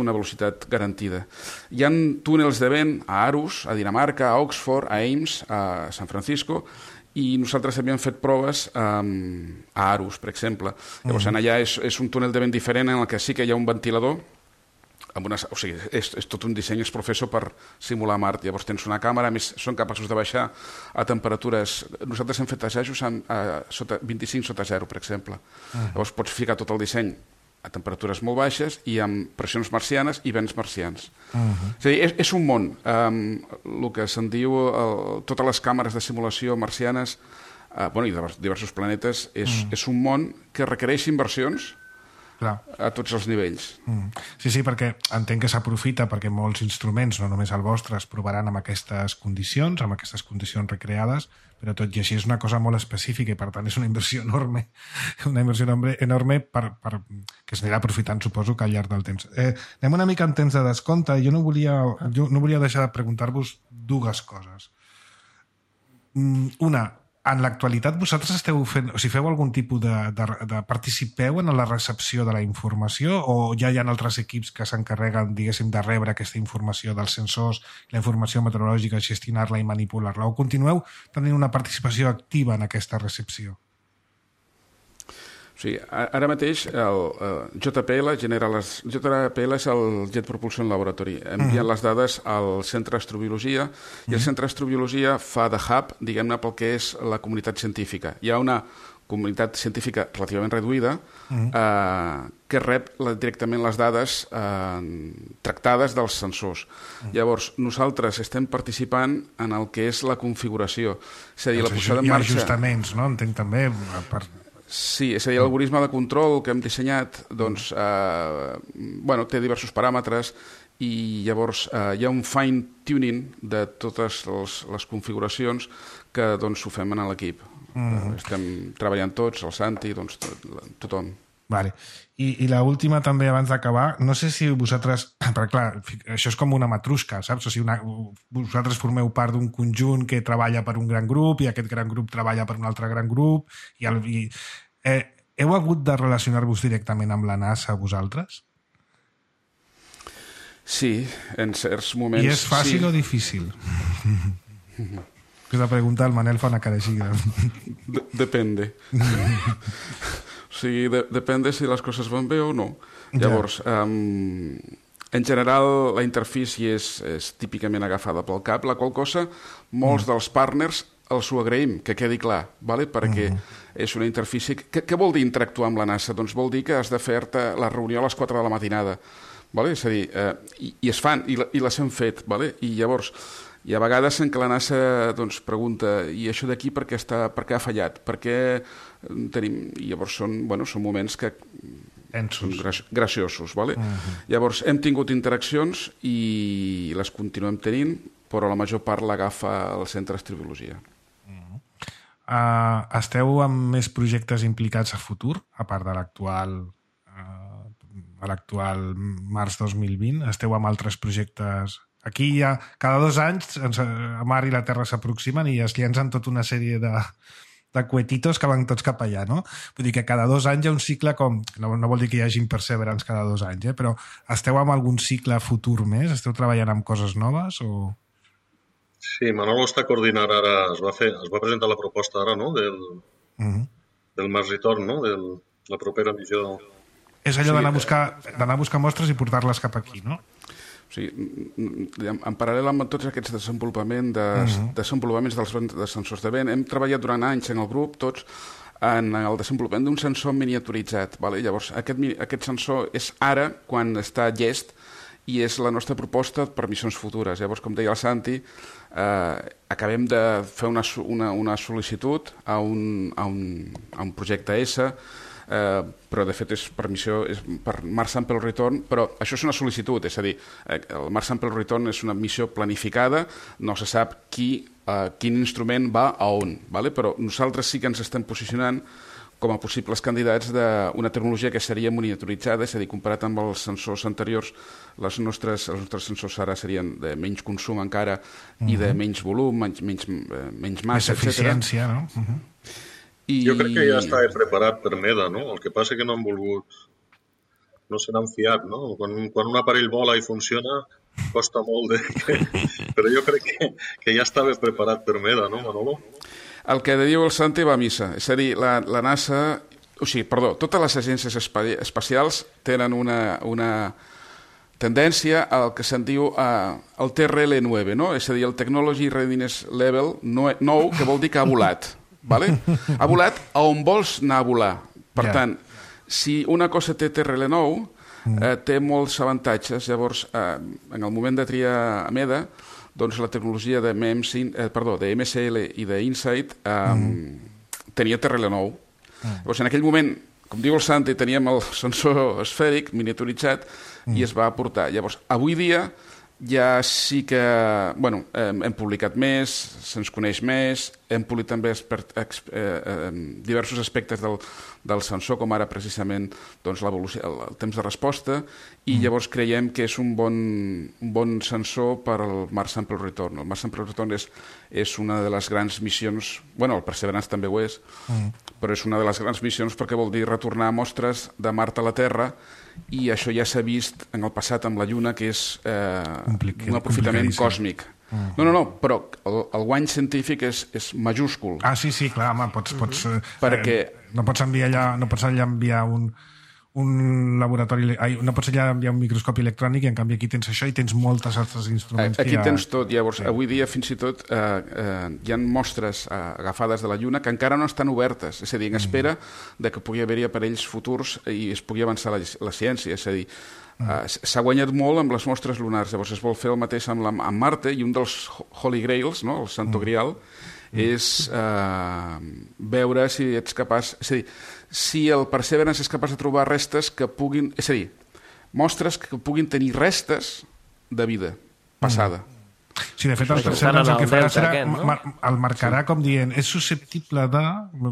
Speaker 6: una velocitat garantida. Hi ha túnels de vent a Aarhus, a Dinamarca, a Oxford, a Ames, a San Francisco, i nosaltres havíem fet proves a Aarhus, per exemple. Llavors allà és un túnel de vent diferent en el que sí que hi ha un ventilador, o sigui, és tot un disseny, és professor per simular Mart. Llavors tens una càmera, a més són capaços de baixar a temperatures... Nosaltres hem fet assajos a 25 sota zero, per exemple. Llavors pots ficar tot el disseny a temperatures molt baixes i amb pressions marcianes i vents marcians. És a dir, és un món. El que se'n diu totes les càmeres de simulació marcianes i de diversos planetes és un món que requereix inversions a tots els nivells.
Speaker 2: Sí, perquè entenc que s'aprofita perquè molts instruments, no només el vostre, es provaran amb aquestes condicions recreades, però tot i així és una cosa molt específica i per tant és una inversió enorme que es anirà aprofitant, suposo, que al llarg del temps. Anem una mica en temps de descompte. Jo no volia deixar de preguntar-vos dues coses. Una, en l'actualitat vosaltres esteu fent, o sigui, feu algun tipus de participeu en la recepció de la informació o ja hi ha altres equips que s'encarreguen, diguéssim, de rebre aquesta informació dels sensors, la informació meteorològica, gestionar-la i manipular-la, o continueu tenint una participació activa en aquesta recepció?
Speaker 6: Sí, ara mateix el JPL és el Jet Propulsion Laboratory. Envien les dades al Centre d'Astrobiologia i el Centre d'Astrobiologia fa de hub, diguem-ne, pel que és la comunitat científica. Hi ha una comunitat científica relativament reduïda que rep directament les dades tractades dels sensors. Llavors, nosaltres estem participant en el que és la configuració. És a dir, la posada en marxa...
Speaker 2: I ajustaments, no? Entenc també...
Speaker 6: Sí, és a dir, l'algoritme de control que hem dissenyat té diversos paràmetres i llavors hi ha un fine-tuning de totes les configuracions que ho fem en l'equip. Estem treballant tots, el Santi, tothom.
Speaker 2: Vale. I l'última també, abans d'acabar, no sé si vosaltres... Perquè clar, això és com una matrusca, saps? O sigui, vosaltres formeu part d'un conjunt que treballa per un gran grup i aquest gran grup treballa per un altre gran grup i heu hagut de relacionar-vos directament amb la NASA vosaltres?
Speaker 6: Sí, en certs moments...
Speaker 2: I és fàcil o difícil? Aquesta pregunta el Manel fa una cara així.
Speaker 6: Depende. O sigui, depende si les coses van bé o no. Llavors, en general, la interfície és típicament agafada pel cap, la qual cosa molts dels partners els ho agraïm, que quedi clar, perquè és una interfície... Què vol dir interactuar amb la NASA? Doncs vol dir que has de fer-te la reunió a les 4 de la matinada. És a dir, i es fan, i les hem fet. I llavors, hi ha vegades en què la NASA pregunta i això d'aquí per què ha fallat? Per què tenim... I llavors són moments que són graciosos. Llavors, hem tingut interaccions i les continuem tenint, però la major part l'agafa el Centre d'Astrobiologia.
Speaker 2: Esteu amb més projectes implicats a futur, a part de l'actual març 2020? Esteu amb altres projectes? Aquí ja, cada 2 anys, Mar i la Terra s'aproximen i es llencen tota una sèrie de cohetitos que van tots cap allà, no? Vull dir que cada 2 anys hi ha un cicle com... No vol dir que hi hagi Perseverance cada 2 anys, però esteu amb algun cicle futur més? Esteu treballant amb coses noves o...?
Speaker 5: Sí, Manolo està coordinant ara, es va presentar la proposta ara, no?, del Mars Return, no?, de la propera missió.
Speaker 2: És allò d'anar a buscar mostres i portar-les cap aquí, no?
Speaker 6: Sí, en paral·lel amb tots aquests desenvolupaments dels sensors de vent, hem treballat durant anys en el grup, tots, en el desenvolupament d'un sensor miniaturitzat. Llavors, aquest sensor és ara, quan està llest, i és la nostra proposta per missions futures. Llavors, com deia el Santi, acabem de fer una sol·licitud a un projecte S, però de fet és per missió, és per Mars Sample Return, però això és una sol·licitud, és a dir, el Mars Sample Return és una missió planificada, no se sap quin instrument va a on, però nosaltres sí que ens estem posicionant com a possibles candidats d'una tecnologia que seria miniaturitzada, és a dir, comparat amb els sensors anteriors, els nostres sensors ara serien de menys consum encara i de menys volum, menys massa, etc.
Speaker 2: Més eficiència, no?
Speaker 5: Jo crec que ja estava preparat per MEDA, no? El que passa que no han volgut, no se n'han fiat, no? Quan un aparell vola i funciona, costa molt però jo crec que ja estava preparat per MEDA, no, Manolo?
Speaker 6: El que diu el Santi va a missa. És a dir, la NASA... totes les agències espacials tenen una tendència al que se'n diu el TRL9, no? És a dir, el Technology Readiness Level 9, que vol dir que ha volat. Ha volat a on vols anar a volar. Per tant, si una cosa té TRL9, té molts avantatges. Llavors, en el moment de triar a MEDA, doncs la tecnologia de MSL i d'InSight tenia TRL9. Llavors, en aquell moment, com diu el Santi, teníem el sensor esfèric miniaturitzat i es va aportar. Llavors, avui dia ja sí que hem publicat més, se'ns coneix més, hem polit també diversos aspectes del sensor, com ara precisament l'evolució, el temps de resposta, i llavors creiem que és un bon sensor per al Mars Sample Return. El Mars Sample Return és una de les grans missions, el Perseverance també ho és, però és una de les grans missions perquè vol dir retornar mostres de Mart a la Terra, i això ja s'ha vist en el passat amb la Lluna, que és un aprofitament còsmic. No, però el guany científic és majúscul.
Speaker 2: Ah, sí, clar, home, pots perquè no pots allà enviar un laboratori, no pots allà enviar un microscopi electrònic, i en canvi aquí tens això i tens moltes altres instruments.
Speaker 6: Aquí tens tot. Llavors, avui dia fins i tot hi ha mostres agafades de la Lluna que encara no estan obertes, és a dir, en espera de que pugui haver-hi aparells futurs i es pugui avançar la ciència, és a dir, s'ha guanyat molt amb les mostres lunars. Llavors es vol fer el mateix amb Marte, i un dels Holy Grails, el Santo Grial, és veure si ets capaç, és a dir, si el Perseverance és capaç de trobar restes que puguin, és a dir, mostres que puguin tenir restes de vida passada.
Speaker 2: Sí, de fet, el Perseverance el que farà serà el marcarà com dient és susceptible de...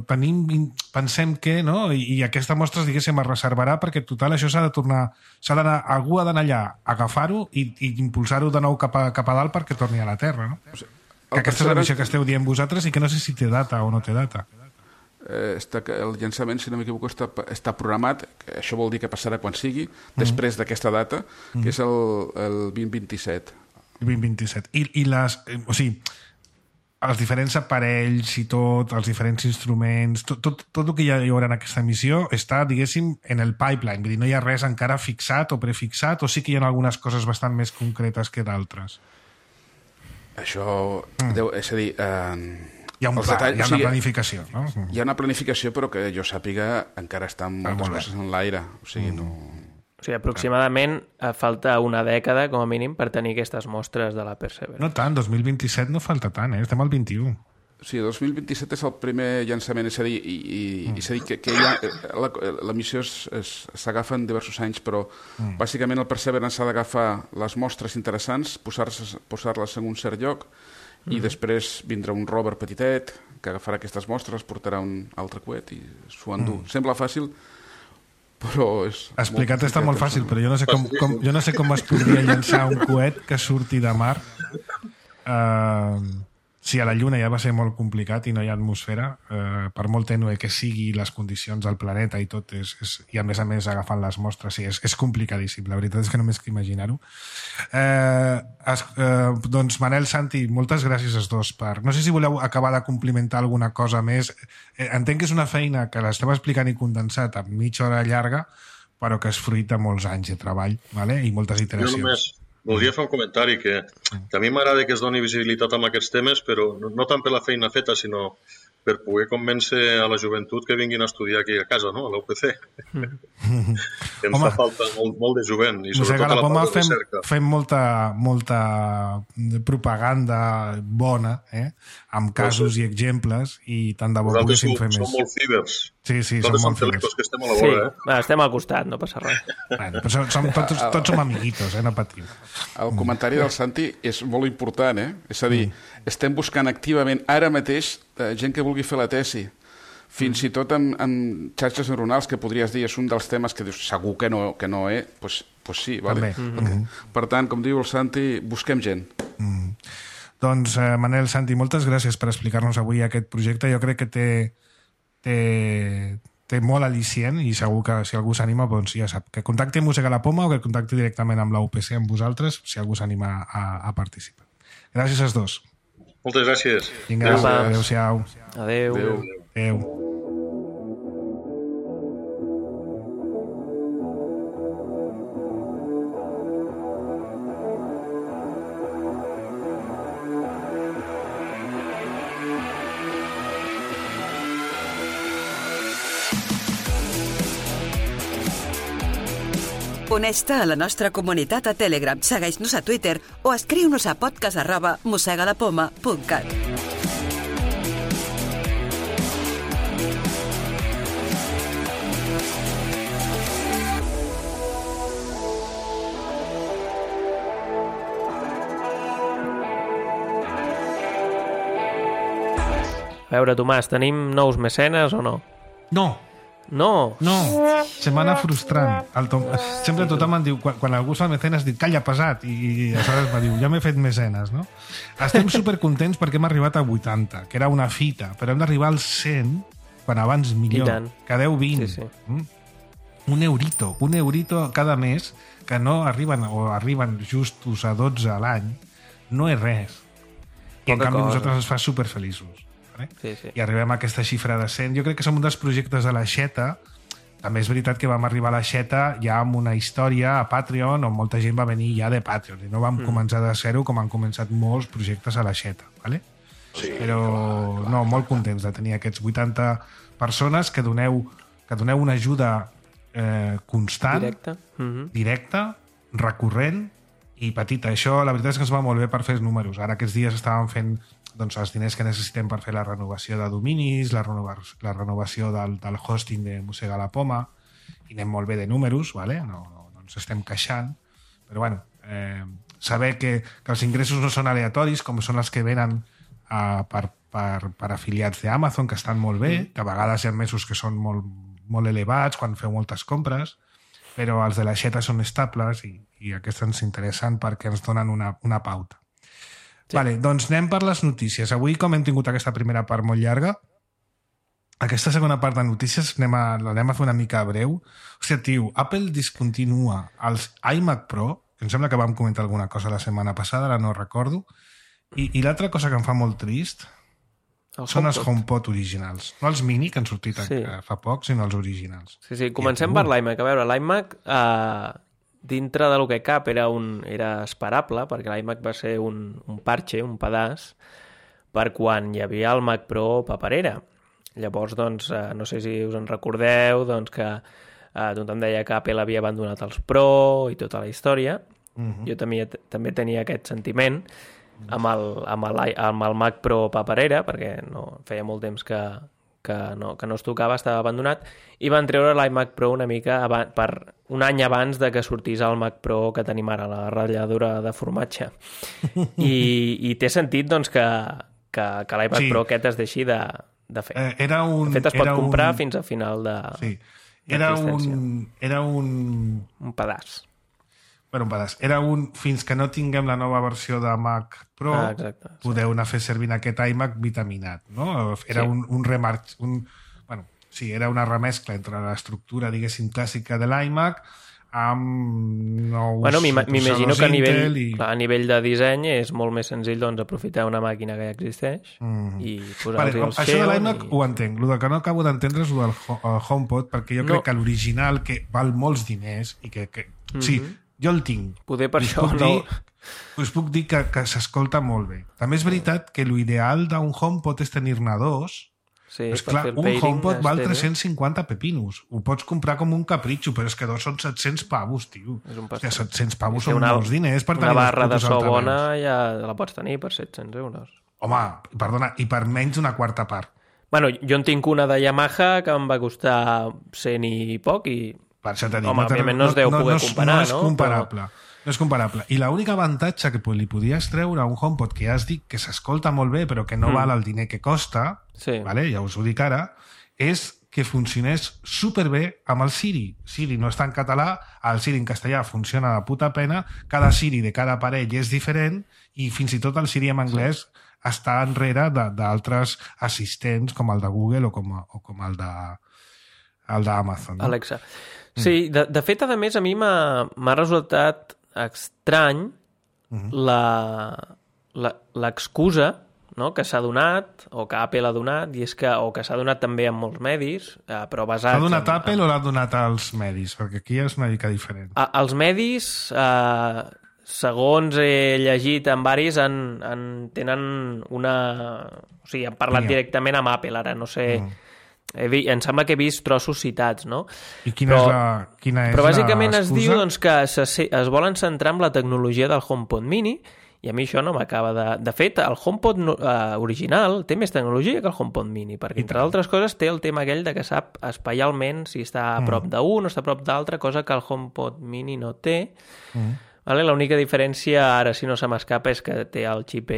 Speaker 2: Pensem que, no? I aquesta mostra, diguéssim, es reservarà perquè total això s'ha de tornar... Algú ha d'anar allà, agafar-ho i impulsar-ho de nou cap a dalt perquè torni a la Terra, no? Que aquesta és la missió que esteu dient vosaltres i que no sé si té data o no té data.
Speaker 6: El llançament, si no m'equivoco, està programat, això vol dir que passarà quan sigui, després d'aquesta data, que és el 2027.
Speaker 2: 2027. I els diferents aparells i tot, els diferents instruments, tot el que hi haurà en aquesta missió està, diguéssim, en el pipeline. Vull dir, no hi ha res encara fixat o prefixat, o sí que hi ha algunes coses bastant més concretes que d'altres?
Speaker 6: Això, és a dir...
Speaker 2: Hi ha una planificació, no?
Speaker 6: Hi ha una planificació, però que jo sàpiga encara estan moltes coses en l'aire. O sigui, no...
Speaker 3: O sigui, aproximadament falta una dècada, com a mínim, per tenir aquestes mostres de la Perseverance.
Speaker 2: No tant, 2027 no falta tant, estem al 21.
Speaker 6: Sí, 2027 és el primer llançament, és a dir, que la missió s'agafa en diversos anys, però bàsicament el Perseverance s'ha d'agafar les mostres interessants, posar-les en un cert lloc, i després vindrà un rover petitet que agafarà aquestes mostres, portarà un altre coet i s'ho endú. Sembla fàcil, però és...
Speaker 2: Explicat està molt fàcil, però jo no sé com es podria llançar un coet que surti de mar. Si a la Lluna ja va ser molt complicat i no hi ha atmosfera, per molt tènue que sigui les condicions del planeta i tot, i a més agafant les mostres, sí, és complicadíssim. La veritat és que només que imaginar-ho. Doncs Manel, Santi, moltes gràcies als dos. No sé si voleu acabar de complimentar alguna cosa més. Entenc que és una feina que l'esteu explicant i condensat en mitja hora llarga, però que és fruit de molts anys de treball, vale? I moltes iteracions.
Speaker 5: Voldria fer un comentari que a mi m'agrada que es doni visibilitat amb aquests temes, però no tant per la feina feta, sinó per poder convèncer a la joventut que vinguin a estudiar aquí a casa, no? A la UPC. Ens fa falta molt de jovent, i sobretot a la part de recerca.
Speaker 2: Fem molta propaganda bona, amb casos i exemples, i tant de bo poguéssim fer més.
Speaker 5: Nosaltres som molt fibers.
Speaker 2: Sí, som molt fibers.
Speaker 5: Que estem a la vora,
Speaker 3: estem al costat, no passa res.
Speaker 2: Però tots som amiguitos, no patim.
Speaker 6: El comentari del Santi és molt important, És a dir, estem buscant activament ara mateix gent que vulgui fer la tesi. Fins i tot amb xarxes neuronals, que podries dir és un dels temes que dius segur que no, doncs sí, vale? Per tant, com diu el Santi, busquem gent.
Speaker 2: Doncs, Manel, Santi, moltes gràcies per explicar-nos avui aquest projecte. Jo crec que té molt al·licient, i segur que si algú s'anima, doncs ja sap, que contacti Mossega la Poma o que contacti directament amb la UPC, amb vosaltres, si algú s'anima a participar. Gràcies als dos.
Speaker 5: Moltes gràcies.
Speaker 2: Vinga, adéu-siau.
Speaker 3: Adéu.
Speaker 4: Uneix-te a la nostra comunitat a Telegram, segueix-nos a Twitter o escriu-nos a podcast@mossegalapoma.cat.
Speaker 3: A veure, Tomàs, tenim nous mecenes o no?
Speaker 2: No,
Speaker 3: No.
Speaker 2: se m'ha anat frustrant. Sempre tothom em diu, quan algú es fa mecenes, diu, calla, pesat, i aleshores me diu, ja m'he fet mecenes, no? Estem supercontents perquè hem arribat a 80, que era una fita, però hem d'arribar als 100, quan abans millor, que 10-20.
Speaker 3: Sí.
Speaker 2: Un eurito cada mes, que no arriben, o arriben justos a 12 a l'any, no és res. I en canvi nosaltres ens fa superfeliços.
Speaker 3: Sí.
Speaker 2: I arribem a aquesta xifra de 100. Jo crec que som un dels projectes de la Xeta. També és veritat que vam arribar a la Xeta ja amb una història a Patreon on molta gent va venir ja de Patreon i no vam començar de zero com han començat molts projectes a la Xeta, ¿vale? Sí, però no, molt contents de tenir aquests 80 persones que doneu una ajuda constant, directa, recurrent i petita. Això la veritat és que ens va molt bé per fer els números. Ara aquests dies estàvem fent els diners que necessitem per fer la renovació de dominis, la renovació del hosting de Mossega la Poma, i anem molt bé de números, ¿vale? No ens estem queixant, però bueno, saber que els ingressos no són aleatoris, com són els que venen per afiliats d'Amazon, que estan molt bé, que a vegades hi ha mesos que són molt elevats quan feu moltes compres, però els de la Xeta són estables i aquests ens interessen perquè ens donen una pauta. Sí. Vale, doncs anem per les notícies. Avui, com hem tingut aquesta primera part molt llarga, aquesta segona part de notícies l'anem a fer una mica breu. Hòstia, tio, Apple discontinua els iMac Pro, que em sembla que vam comentar alguna cosa la setmana passada, ara no recordo, i l'altra cosa que em fa molt trist són els HomePod originals. No els mini, que han sortit fa poc, sinó els originals.
Speaker 3: Sí, comencem per l'iMac. A veure, l'iMac, dintre del que cap, era esperable, perquè l'iMac va ser un parche, un pedaç, per quan hi havia el Mac Pro paperera. Llavors, doncs, no sé si us en recordeu, doncs que tothom deia que Apple havia abandonat els Pro i tota la història. Jo també tenia aquest sentiment amb el Mac Pro paperera, perquè feia molt temps que no es tocava, estava abandonat, i van treure l'iMac Pro una mica per un any abans de que sortís el Mac Pro que tenim ara, la ratlladura de formatge. I té sentit, doncs, que l'iMac Pro aquest es deixi de fer. De fet, es pot comprar fins a final de...
Speaker 2: Sí. Era un
Speaker 3: pedaç.
Speaker 2: Bueno, un pedaç. Fins que no tinguem la nova versió de Mac Pro, podeu anar a fer servir aquest iMac vitaminat, no? Era un remarc... era una remescla entre l'estructura, diguéssim, clàssica de l'iMac amb nous...
Speaker 3: Bueno, m'imagino que a nivell de disseny és molt més senzill, doncs, aprofitar una màquina que ja existeix i posar-hi el
Speaker 2: Això de l'iMac ho entenc. El que no acabo d'entendre és el del HomePod, perquè jo crec que l'original, que val molts diners i que sí, jo el tinc.
Speaker 3: Poder per això
Speaker 2: us puc dir que s'escolta molt bé. També és veritat que l'ideal d'un HomePod és tenir-ne dos.
Speaker 3: Sí,
Speaker 2: és clar, un HomePod val 350 pepinos. Ho pots comprar com un capritxo, però és que dos són 700 pavos, tio. Hòstia, 700 pavos són molts diners per tenir
Speaker 3: una barra de so bona ja la pots tenir per 700 euros.
Speaker 2: Home, perdona, i per menys d'una quarta part.
Speaker 3: Bueno, jo en tinc una de Yamaha que em va costar 100 i poc i...
Speaker 2: Per això t'he dit,
Speaker 3: òbviament no es deu poder comparar, no?
Speaker 2: No és comparable. No és comparable. I l'única avantatge que li podies treure a un HomePod, que ja has dit que s'escolta molt bé però que no val el diner que costa, vale? Ja us ho dic ara, és que funcionés superbé amb el Siri. Siri no està en català, el Siri en castellà funciona de puta pena, cada Siri de cada aparell és diferent i fins i tot el Siri en anglès està enrere d'altres assistents com el de Google o com el d'Amazon. No?
Speaker 3: Alexa. Sí, de fet, a més, a mi m'ha resultat estrany l'excusa, no?, que s'ha donat, o que Apple ha donat, o que s'ha donat també en molts medis, però basats...
Speaker 2: L'ha donat Apple o l'ha donat als medis? Perquè aquí és una mica diferent.
Speaker 3: Els medis, segons he llegit en varis, tenen una... O sigui, han parlat directament amb Apple, ara no sé... Em sembla que he vist trossos citats, no?
Speaker 2: I quina és
Speaker 3: però bàsicament
Speaker 2: l'excusa?
Speaker 3: Es diu doncs, que es volen centrar en la tecnologia del HomePod mini i a mi això no m'acaba de... De fet, el HomePod original té més tecnologia que el HomePod mini, perquè entre altres coses té el tema aquell de que sap espaialment si està a prop d'un o està a prop d'altre, cosa que el HomePod mini no té. Vale? L'única diferència, ara si no se m'escapa, és que té el xip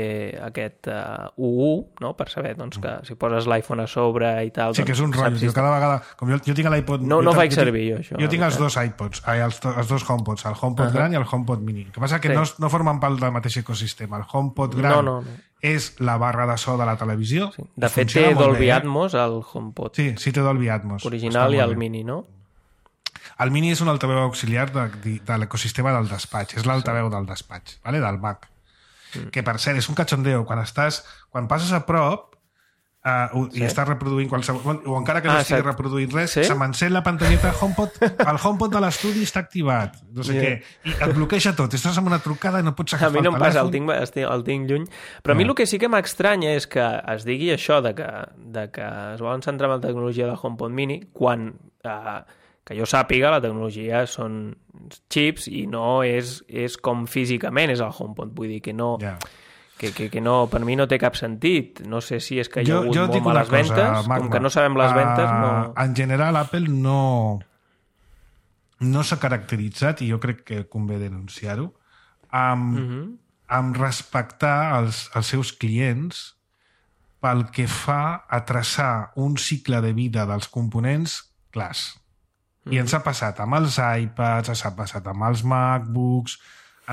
Speaker 3: aquest U1, no? Per saber doncs, que si poses l'iPhone a sobre i tal...
Speaker 2: Sí, que és un rotllo. Jo cada vegada... Com jo tinc l'iPod...
Speaker 3: No faig servir jo, això.
Speaker 2: Jo tinc els dos iPods, els dos HomePods, el HomePod gran i el HomePod mini. El que passa que no formen part del mateix ecosistema. El HomePod gran és la barra de so de la televisió.
Speaker 3: Sí. De fet, té Dolby Atmos, el HomePod.
Speaker 2: Sí, té Dolby Atmos.
Speaker 3: Original i el mini, no?
Speaker 2: El mini és un altaveu auxiliar de l'ecosistema del despatx, és l'altaveu del despatx, vale? Del Mac. Que, per cert, és un cachondeo. Quan passes a prop i estàs reproduint qualsevol... O encara que no estigui reproduint res, se m'encén la pantalleta HomePod, el HomePod de l'estudi està activat, no sé què, i et bloqueja tot. Estàs amb una trucada i no pots agafar el telèfon.
Speaker 3: A mi no em passa, el tinc lluny. Però a mi el que sí que m'estranya és que es digui això de que es volen centrar en la tecnologia del HomePod mini quan... que jo sàpiga, la tecnologia són xips i no és com físicament és el HomePod. Vull dir que no... Que no, per mi no té cap sentit. No sé si és que hi ha hagut molt males ventes. Com que no sabem les ventes, no...
Speaker 2: En general, Apple no s'ha caracteritzat, i jo crec que convé denunciar-ho, amb respectar els seus clients pel que fa a traçar un cicle de vida dels components clars. I ens ha passat amb els iPads, ens ha passat amb els MacBooks,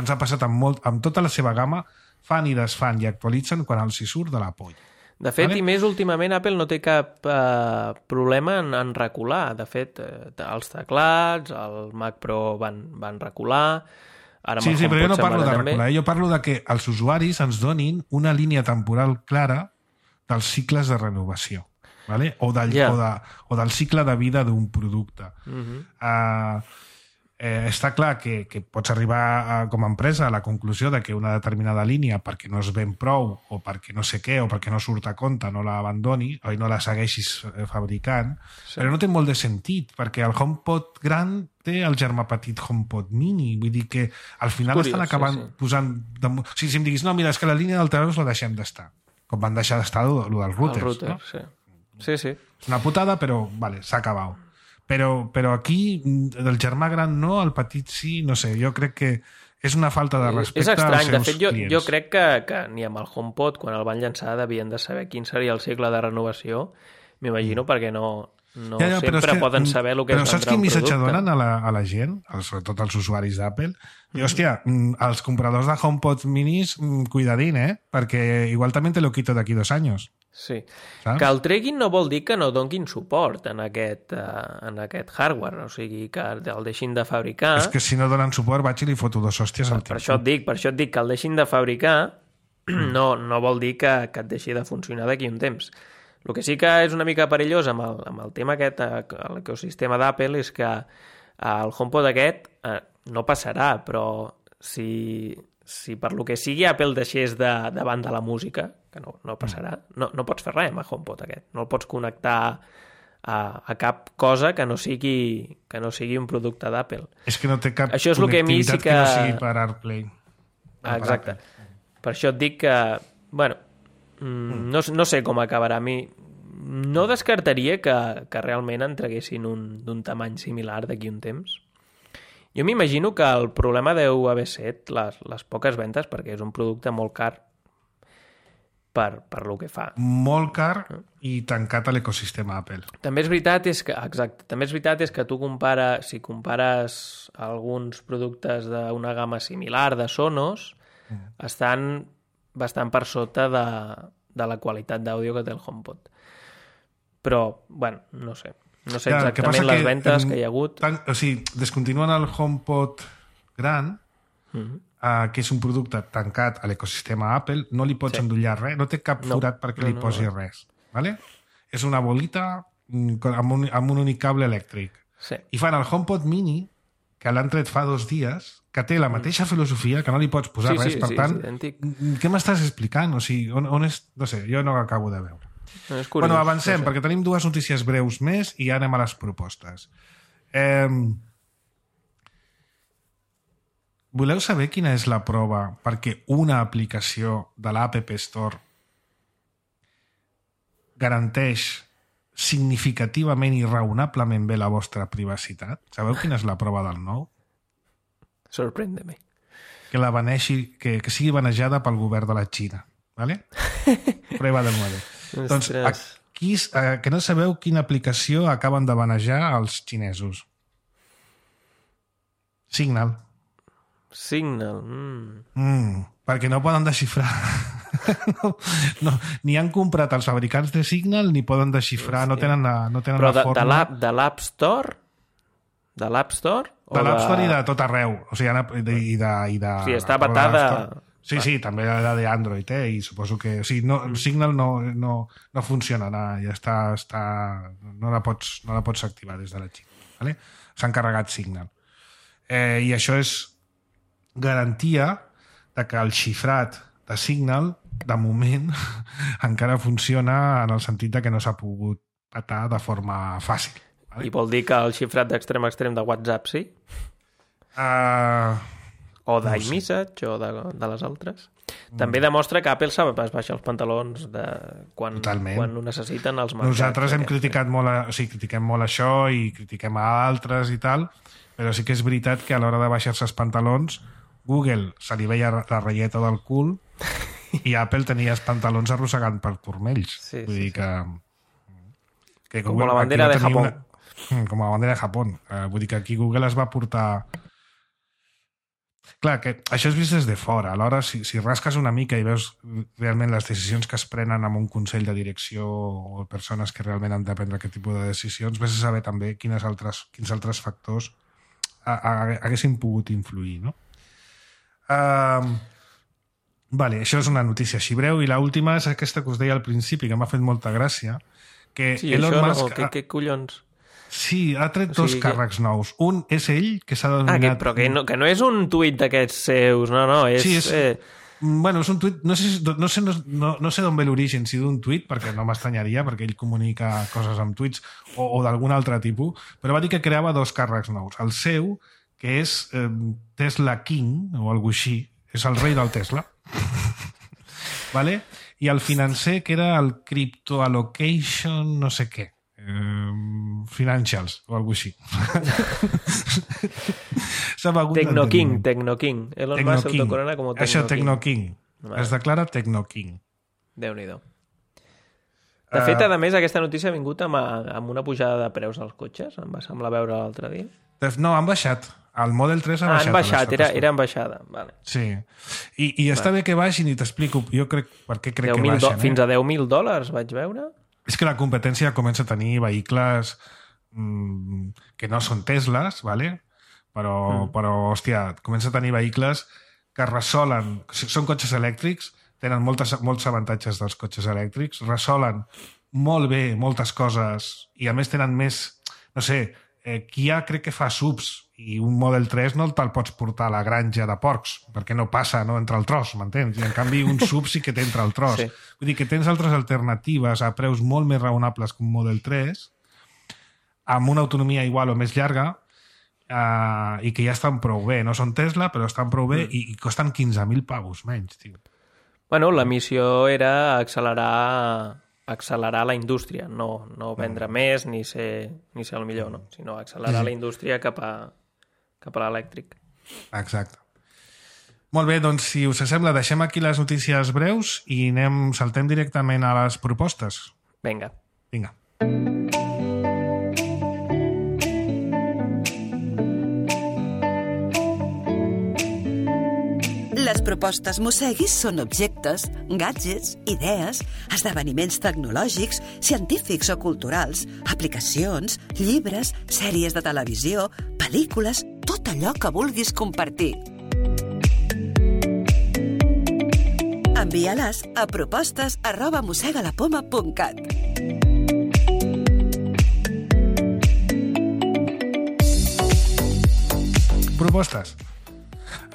Speaker 2: ens ha passat amb tota la seva gamma, fan i desfan i actualitzen quan els hi surt de la polla.
Speaker 3: De fet, i més últimament, Apple no té cap problema en recular. De fet, els teclats, el Mac Pro van recular...
Speaker 2: Sí, però jo no parlo de recular. Jo parlo de que els usuaris ens donin una línia temporal clara dels cicles de renovació. Vale? O del cicle de vida d'un producte. Està clar que pots arribar com a empresa a la conclusió de que una determinada línia, perquè no es ven prou o perquè no sé què, o perquè no surt a compte, no l'abandoni o no la segueixis fabricant, però no té molt de sentit, perquè el HomePod gran té el germà petit HomePod mini, vull dir que al final estan acabant posant... O sigui, si em diguis, no, mira, és que la línia d'altaveus la deixem d'estar, com van deixar d'estar el dels routers, no?
Speaker 3: Sí.
Speaker 2: És una putada, però vale, s'ha acabat. Però aquí, del germà gran no, el petit sí, no sé, jo crec que és una falta de respecte als seus clients. És estrany, de fet,
Speaker 3: jo crec que ni amb el HomePod, quan el van llançar, devien de saber quin seria el cicle de renovació, m'imagino, perquè no sempre poden saber el que és vendre un producte. Però saps quin missatge donen a la gent, sobretot als usuaris d'Apple? I, hòstia, els compradors de HomePod minis, cuidadín, perquè igual també te lo quito d'aquí 2 anys. Sí. Saps? Que el treguin no vol dir que no donguin suport en aquest hardware, o sigui, que el deixin de fabricar...
Speaker 2: És que si no donen suport vaig i li foto 2 hòsties al
Speaker 3: tipus. Per això et dic que el deixin de fabricar no vol dir que et deixi de funcionar d'aquí un temps. El que sí que és una mica perillós amb el tema aquest, l'ecosistema d'Apple, és que el HomePod aquest no passarà, però si per lo que sigui Apple deixés de banda la música, que no passarà, no pots fer res amb el HomePod aquest. No el pots connectar a cap cosa que no sigui un producte d'Apple.
Speaker 2: És que no té cap connectivitat que no sigui per AirPlay.
Speaker 3: Exacte. Per això et dic que, bueno, no sé com acabarà. A mi no descartaria que realment en traguessin d'un tamany similar d'aquí un temps. Jo m'imagino que el problema deu haver set les poques ventes, perquè és un producte molt car per lo que fa.
Speaker 2: Molt car i tancat a l'ecosistema Apple.
Speaker 3: També és veritat que tu si compares alguns productes d'una gamma similar de Sonos, estan bastant per sota de la qualitat d'àudio que té el HomePod. Però, bueno, no sé. No sé exactament les ventes que hi ha hagut.
Speaker 2: O sigui, descontinuen el HomePod gran, que és un producte tancat a l'ecosistema Apple, no li pots endollar res, no té cap forat perquè li posi res. Vale? És una bolita amb un únic cable elèctric.
Speaker 3: Sí.
Speaker 2: I fan el HomePod mini, que l'han tret fa 2 dies, que té la mateixa filosofia, que no li pots posar res. Per tant, què m'estàs explicant? O sigui, on és? No sé, jo no acabo de veure. Bueno, avancem, perquè tenim 2 notícies breus més i ja anem a les propostes. Voleu saber quina és la prova perquè una aplicació de l'App Store garanteix significativament i raonablement bé la vostra privacitat? Sabeu quina és la prova del nou?
Speaker 3: Sorprèn-me.
Speaker 2: que la baneixi, que sigui banejada pel govern de la Xina. ¿Vale? Prueba del 9. Doncs aquí, que no sabeu quina aplicació acaben de banejar els xinesos. Signal. Perquè no poden desxifrar. Ni han comprat els fabricants de Signal ni poden desxifrar, no tenen la forma.
Speaker 3: Però de l'App Store? De l'App Store?
Speaker 2: De l'App Store i de tot arreu. O sigui,
Speaker 3: sí, està vetada...
Speaker 2: Sí, també d'Android, i suposo que... O sigui, Signal no funciona, ja està no la pots activar des de la Xina. ¿Vale? S'ha encarregat Signal. I això és garantia de que el xifrat de Signal, de moment, encara funciona en el sentit de que no s'ha pogut patar de forma fàcil. ¿Vale?
Speaker 3: I vol dir que el xifrat d'extrem a extrem de WhatsApp sí? O d'iMessage o de les altres. També demostra que Apple es baixa els pantalons quan ho necessiten els mercats.
Speaker 2: Nosaltres hem criticat molt, critiquem molt això i critiquem a altres i tal, però sí que és veritat que a l'hora de baixar-se els pantalons Google se li veia la ratlleta del cul i Apple tenia els pantalons arrossegant per turmells. Vull dir que
Speaker 3: com la bandera de Japó.
Speaker 2: Com la bandera de Japó. Vull dir que aquí Google es va portar... Clar, que això és vist des de fora. Alhora, si rasques una mica i veus realment les decisions que es prenen amb un consell de direcció o persones que realment han de prendre aquest tipus de decisions, vés a saber també quins altres factors haguessin pogut influir, no? Vale, això és una notícia així breu, i l'última és aquesta que us deia al principi, que m'ha fet molta gràcia, que Elon Musk...
Speaker 3: Què collons?
Speaker 2: Sí, ha tret dos càrrecs nous. Un és ell, que s'ha denominat...
Speaker 3: Però que no és un tuit d'aquests seus, no, és...
Speaker 2: Sí, bueno, és un tuit... No sé d'on ve l'origen, si d'un tuit, perquè no m'estranyaria, perquè ell comunica coses amb tuits, o d'algun altre tipus, però va dir que creava dos càrrecs nous. El seu, que és Tesla King, o alguna així, és el rei del Tesla. ¿Vale? I el financer, que era el Crypto Allocation, no sé què. Financials o alguna així.
Speaker 3: Tecno King. Elon Musk s'autocorona com Tecno King.
Speaker 2: Això, Tecno King. Es declara Tecno King.
Speaker 3: Déu-n'hi-do. De fet, a més, aquesta notícia ha vingut amb una pujada de preus als cotxes. Em va semblar veure l'altre dia.
Speaker 2: No, han baixat. El Model 3 ha baixat.
Speaker 3: Han baixat, era en baixada. Vale.
Speaker 2: Sí. I està bé que baixin, i t'explico. Jo crec per què crec que baixen.
Speaker 3: Fins a $10,000 vaig veure.
Speaker 2: És que la competència comença a tenir vehicles que no són Teslas, ¿vale? Però, hòstia, comença a tenir vehicles que resolen... Són cotxes elèctrics, tenen molts avantatges dels cotxes elèctrics, resolen molt bé moltes coses i a més tenen més... No sé, Kia crec que fa subs i un Model 3 no te'l pots portar a la granja de porcs perquè no passa, no entra el tros, m'entens? I en canvi un sub sí que t'entra el tros. Sí. Vull dir que tens altres alternatives a preus molt més raonables que un Model 3 amb una autonomia igual o més llarga i que ja estan prou bé. No són Tesla, però estan prou bé i costen 15.000 pavos menys, tio.
Speaker 3: Bueno, la missió era accelerar la indústria, no vendre més ni ser el millor, no? Sinó accelerar la indústria cap a l'elèctric.
Speaker 2: Exacte. Molt bé, doncs si us sembla, deixem aquí les notícies breus i saltem directament a les propostes.
Speaker 3: Vinga.
Speaker 4: Les propostes Mosseguis són objectes, gadgets, idees, esdeveniments tecnològics, científics o culturals, aplicacions, llibres, sèries de televisió, pel·lícules, tot allò que vulguis compartir. Envia-les a propostes@mossegalapoma.cat.
Speaker 2: Propostes.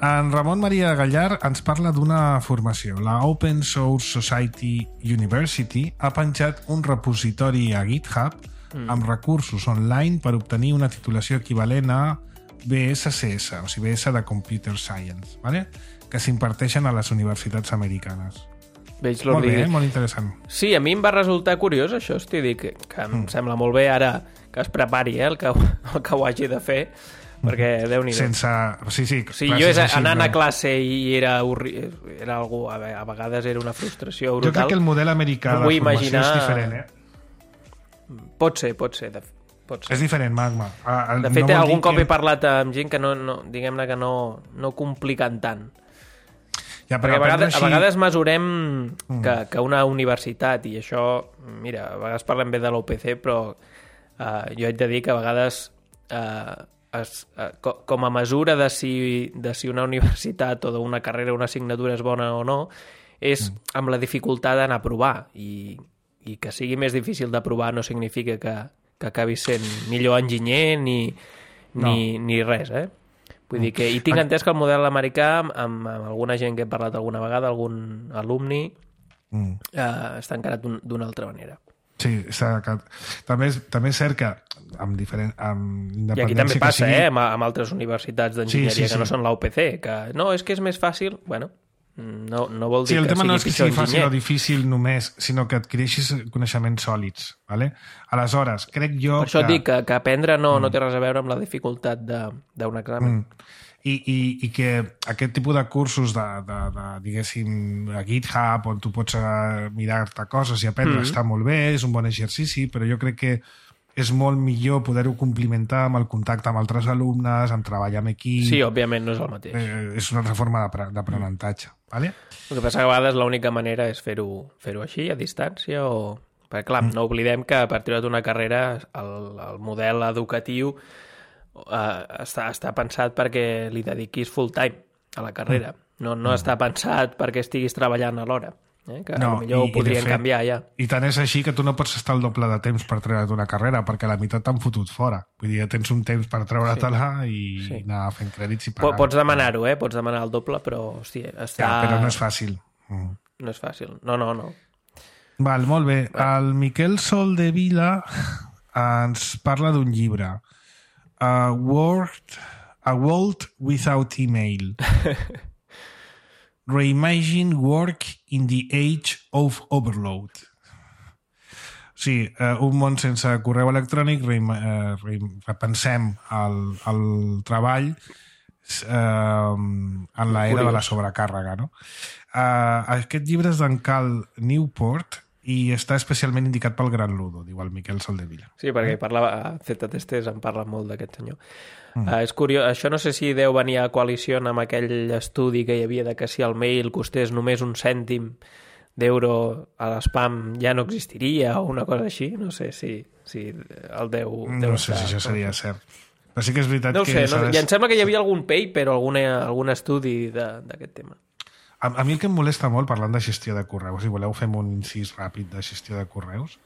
Speaker 2: En Ramon Maria Gallar ens parla d'una formació. La Open Source Society University ha penjat un repositori a GitHub amb recursos online per obtenir una titulació equivalent a BSCS, o sigui, BS de Computer Science, ¿vale? Que s'imparteixen a les universitats americanes. Molt bé, molt interessant.
Speaker 3: Sí, a mi em va resultar curiós això, que em sembla molt bé ara que es prepari el que ho hagi de fer, perquè Déu-n'hi-do.
Speaker 2: Sense... Sí,
Speaker 3: jo anant a classe i era algú, a vegades era una frustració brutal.
Speaker 2: Jo crec que el model americà de formació és diferent,
Speaker 3: Pot ser,
Speaker 2: És diferent, Magma.
Speaker 3: De fet, algun cop he parlat amb gent que diguem-ne que no compliquen tant.
Speaker 2: Ja,
Speaker 3: perquè a vegades mesurem que una universitat, i això, mira, a vegades parlem bé de l'UPC, però jo haig de dir que a vegades com a mesura de si una universitat o d'una carrera o una assignatura és bona o no, és amb la dificultat d'anar a provar, i que sigui més difícil d'aprovar no significa que acabi sent millor enginyer ni res, Vull dir que, i tinc entès que el model americà, amb alguna gent que he parlat alguna vegada, algun alumni, està encarat d'una altra manera.
Speaker 2: Sí, també és cert que amb independència...
Speaker 3: I aquí també passa, amb altres universitats d'enginyeria que no són la UPC, que no, és que és més fàcil, bueno, no vol dir que sigui pitjor enginyer.
Speaker 2: Sí, el tema no és que sigui fàcil o difícil només, sinó que adquireixis coneixements sòlids, ¿vale? Aleshores, crec jo
Speaker 3: per això dic que aprendre no té res a veure amb la dificultat d'un examen.
Speaker 2: I que aquest tipus de cursos diguéssim, a GitHub, on tu pots mirar-te coses i aprendre, està molt bé, és un bon exercici, però jo crec que és molt millor poder-ho complementar amb el contacte amb altres alumnes, amb treball amb equip...
Speaker 3: Sí, òbviament no és el mateix.
Speaker 2: És una altra forma d'aprenentatge. ¿Vale?
Speaker 3: El que passa que a vegades l'única manera és fer-ho així, a distància, o... Perquè, clar, no oblidem que per treure una carrera el model educatiu està pensat perquè li dediquis full time a la carrera. No està pensat perquè estiguis treballant alhora. Que potser ho podrien canviar ja.
Speaker 2: I tant és així que tu no pots estar el doble de temps per treure't una carrera, perquè la meitat t'han fotut fora. Vull dir, ja tens un temps per treure-te-la i anar fent crèdits i pagar.
Speaker 3: Pots demanar-ho, pots demanar el doble, però hòstia, està...
Speaker 2: Ja, però no és fàcil.
Speaker 3: No és fàcil, no.
Speaker 2: Val, molt bé. El Miquel Soldevila ens parla d'un llibre. A World Without Email. Reimagine Work in the Age of Overload. Sí, un món sense correu electrònic, repensem el treball en l'era de la sobrecàrrega. No? Aquest llibre és d'en Cal Newport i està especialment indicat pel Gran Ludo, diu el Miquel Soldevila.
Speaker 3: Sí, perquè a Z-Testers en parla molt d'aquest senyor. És curiós, això no sé si deu venir a coalició amb aquell estudi que hi havia de que si el mail costés només un cèntim d'euro a l'espam ja no existiria o una cosa així, no sé si el deu
Speaker 2: no sé si això seria cert. Però sí que és veritat
Speaker 3: que... No sé, i em sembla que hi havia algun paper o algun estudi d'aquest tema.
Speaker 2: A mi el que em molesta molt, parlant de gestió de correus, si voleu fem un incís ràpid de gestió de correus,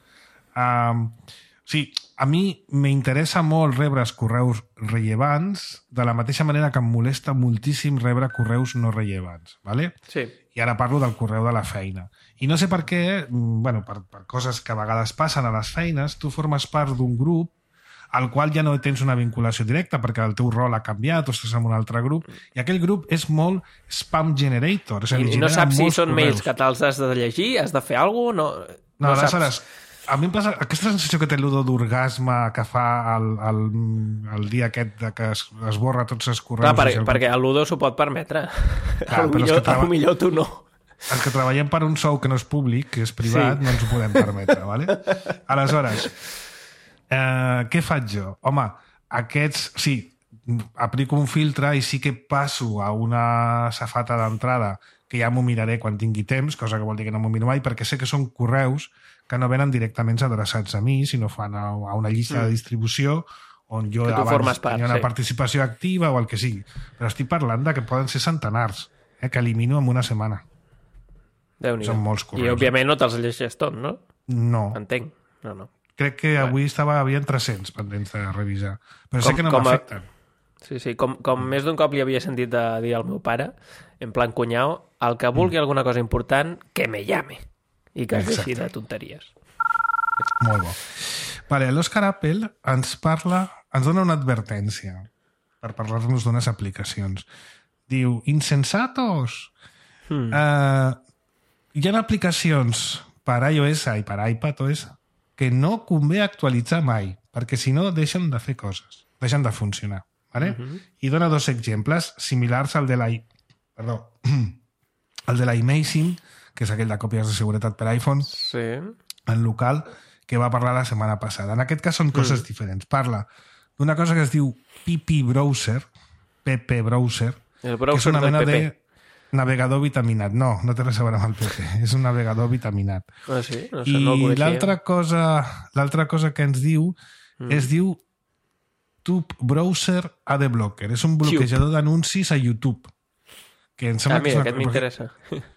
Speaker 2: sí, a mi m'interessa molt rebre els correus rellevants de la mateixa manera que em molesta moltíssim rebre correus no rellevants, ¿vale?
Speaker 3: Sí.
Speaker 2: I ara parlo del correu de la feina. I no sé per què, bueno, per coses que a vegades passen a les feines, tu formes part d'un grup al qual ja no tens una vinculació directa perquè el teu rol ha canviat o estàs en un altre grup, i aquell grup és molt spam generator. És a dir,
Speaker 3: I no saps si són mails que te'ls has de llegir, has de fer alguna cosa,
Speaker 2: no aleshores, a mi em passa aquesta sensació que té l'Udo d'orgasme que fa el dia aquest de que es borra tots els correus.
Speaker 3: Clar, perquè l'Udo s'ho pot permetre. Potser tu no.
Speaker 2: Els que treballem per un sou que no és públic, que és privat, no ens ho podem permetre. ¿Vale? Aleshores, què faig jo? Home, sí, aplico un filtre i sí que passo a una safata d'entrada que ja m'ho miraré quan tingui temps, cosa que vol dir que no m'ho miro mai, perquè sé que són correus que no venen directament adreçats a mi, sinó fan a una llista de distribució on jo abans tenia una participació activa o el que sigui. Però estic parlant de que poden ser centenars, que elimino en una setmana.
Speaker 3: Déu-n'hi-do.
Speaker 2: Són molts correus.
Speaker 3: I òbviament no te'ls llegeixes tot, no?
Speaker 2: No.
Speaker 3: Entenc. No.
Speaker 2: Crec que avui havia 300 pendents de revisar. Però sé que no m'afecten.
Speaker 3: Sí, com més d'un cop li havia sentit dir al meu pare, en plan cunyau, el que vulgui alguna cosa important, que me llame. I que es deixi de tonteries.
Speaker 2: Molt bo. Vale, l'Òscar Apple ens dona una advertència per parlar-nos d'unes aplicacions. Diu, insensatos! Hi ha aplicacions per iOS i per iPadOS que no convé actualitzar mai, perquè si no deixen de fer coses, deixen de funcionar. ¿vale? I dona 2 exemples similars al de l'iMazing, que és aquell de còpies de seguretat per iPhone, en local, que va parlar la setmana passada. En aquest cas són coses diferents. Parla d'una cosa que es diu PP Browser, PP Browser, que és una mena de navegador vitaminat. No té res a veure amb el PP. És un navegador vitaminat.
Speaker 3: Ah, sí? No sé,
Speaker 2: I
Speaker 3: no el coneixia.
Speaker 2: l'altra cosa que ens diu es diu Tube Browser AD Blocker. És un bloquejador d'anuncis a YouTube. Que em sembla
Speaker 3: mira, aquest m'interessa.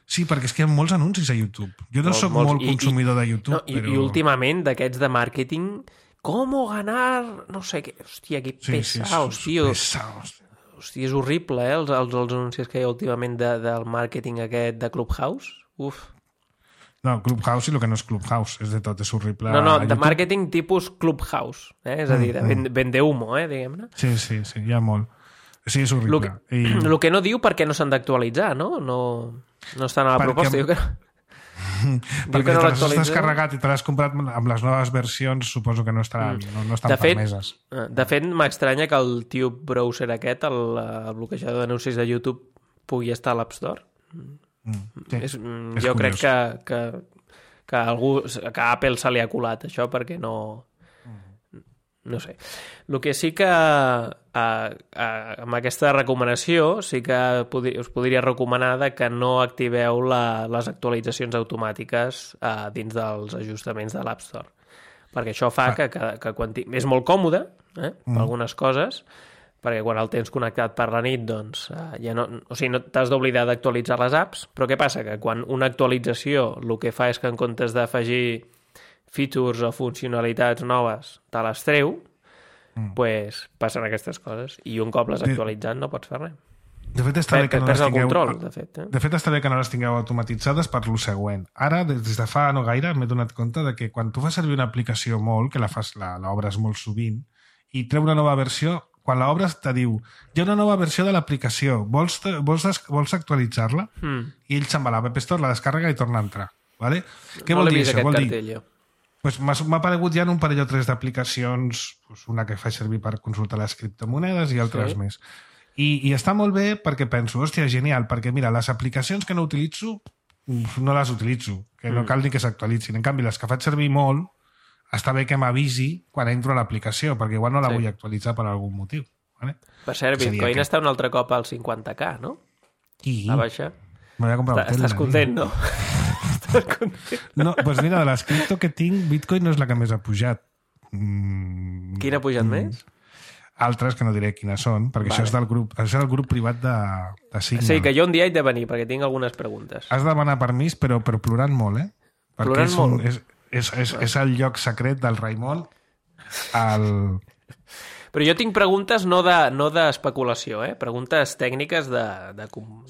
Speaker 2: Sí, perquè és que hi ha molts anuncis a YouTube. Jo no soc molt consumidor de YouTube, però...
Speaker 3: I últimament, d'aquests de màrqueting, com ganar... no sé què... Hòstia, que pesaos, tio. Hòstia, és horrible, els anuncis que hi ha últimament del màrqueting aquest de Clubhouse. Uf.
Speaker 2: No, Clubhouse i el que no és Clubhouse, és de tot, és horrible.
Speaker 3: No, de màrqueting tipus Clubhouse, és a dir, de vende humo, diguem-ne.
Speaker 2: Sí, hi ha molt. Sí, és horrible.
Speaker 3: El que no diu perquè no s'han d'actualitzar, no? No estan a la proposta. Diu que no.
Speaker 2: Perquè si te l'has descarregat i te l'has comprat amb les noves versions, suposo que no estan permeses.
Speaker 3: De fet, m'estranya que el Tube Browser aquest, el bloquejador d'anuncis de YouTube, pugui estar a l'App Store. Jo crec que a Apple se li ha colat això perquè no... No sé. El que sí que amb aquesta recomanació sí que us podria recomanar que no activeu les actualitzacions automàtiques dins dels ajustaments de l'App Store. Perquè això fa que quan és molt còmode per algunes coses, perquè quan el tens connectat per la nit doncs ja no t'has d'oblidar d'actualitzar les apps, però què passa? Que quan una actualització el que fa és que en comptes d'afegir features o funcionalitats noves te les treu, pues passen aquestes coses. I un cop les actualitzant no pots fer res.
Speaker 2: De fet, està bé que no les tingueu...
Speaker 3: control, de
Speaker 2: fet, està bé que no les tingueu automatitzades per lo següent. Ara, des de fa no gaire, m'he donat compte de que quan tu fas servir una aplicació molt, que l'obres molt sovint, i treu una nova versió, quan l'obres te diu hi ha una nova versió de l'aplicació, vols actualitzar-la? I ell se'n va a l'App Store, la descàrrega i torna a entrar. Vale? Què vol dir això? Vol dir... Pues m'ha aparegut ja en un parell o 3 d'aplicacions, una que faig servir per consultar les criptomonedes i altres més. I està molt bé perquè penso, hòstia, genial, perquè mira, les aplicacions que no utilitzo, no les utilitzo, que no cal ni que s'actualitzin. En canvi, les que faig servir molt, està bé que m'avisi quan entro a l'aplicació, perquè igual no la vull actualitzar per algun motiu. Vale?
Speaker 3: Per cert, Bitcoin està un altre cop al 50K, no? A baixa.
Speaker 2: M'ho he comprat.
Speaker 3: Estàs content, no?
Speaker 2: No, doncs mira, de les cripto que tinc, Bitcoin no és la que més ha pujat.
Speaker 3: Quina ha pujat més?
Speaker 2: Altres, que no diré quines són, perquè això és del grup privat de Signal.
Speaker 3: Sí, que jo un dia he de venir, perquè tinc algunes preguntes.
Speaker 2: Has de demanar permís, però plorant molt, Perquè
Speaker 3: plorant molt?
Speaker 2: És el lloc secret del Raimon
Speaker 3: Però jo tinc preguntes no d'especulació, preguntes tècniques de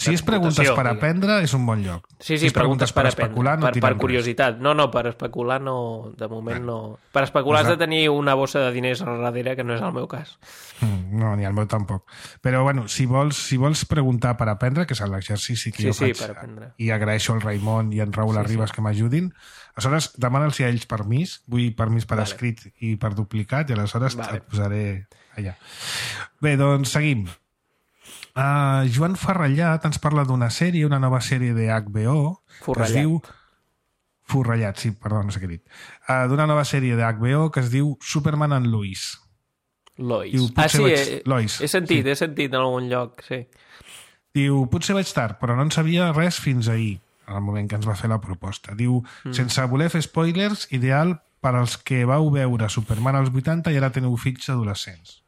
Speaker 2: si és preguntes per aprendre, és un bon lloc.
Speaker 3: Sí, si preguntes per especular, no per curiositat. No, per especular no, de moment no. Per especular has de tenir una bossa de diners a darrere, que no és el meu cas.
Speaker 2: No, ni el meu tampoc. Però, bueno, si vols preguntar per aprendre, que és l'exercici que jo faig,
Speaker 3: per aprendre.
Speaker 2: I agraeixo al Raimon i en Raül Arribas que m'ajudin, aleshores demana'ls a ells permís, vull permís per escrit i per duplicat, i aleshores et posaré allà. Bé, doncs seguim. Joan Farrellat ens parla d'una sèrie, una nova sèrie de HBO, que es diu... Forrellat, sí, perdó, no sé què he dit. D'una nova sèrie de HBO que es diu Superman and Lois.
Speaker 3: Lois.
Speaker 2: Diu,
Speaker 3: Lois. He sentit en algun lloc, sí.
Speaker 2: Diu, potser vaig tard, però no en sabia res fins ahir, en el moment que ens va fer la proposta. Diu, sense voler fer spoilers, ideal per als que vau veure Superman als 80 i ara teniu fills adolescents.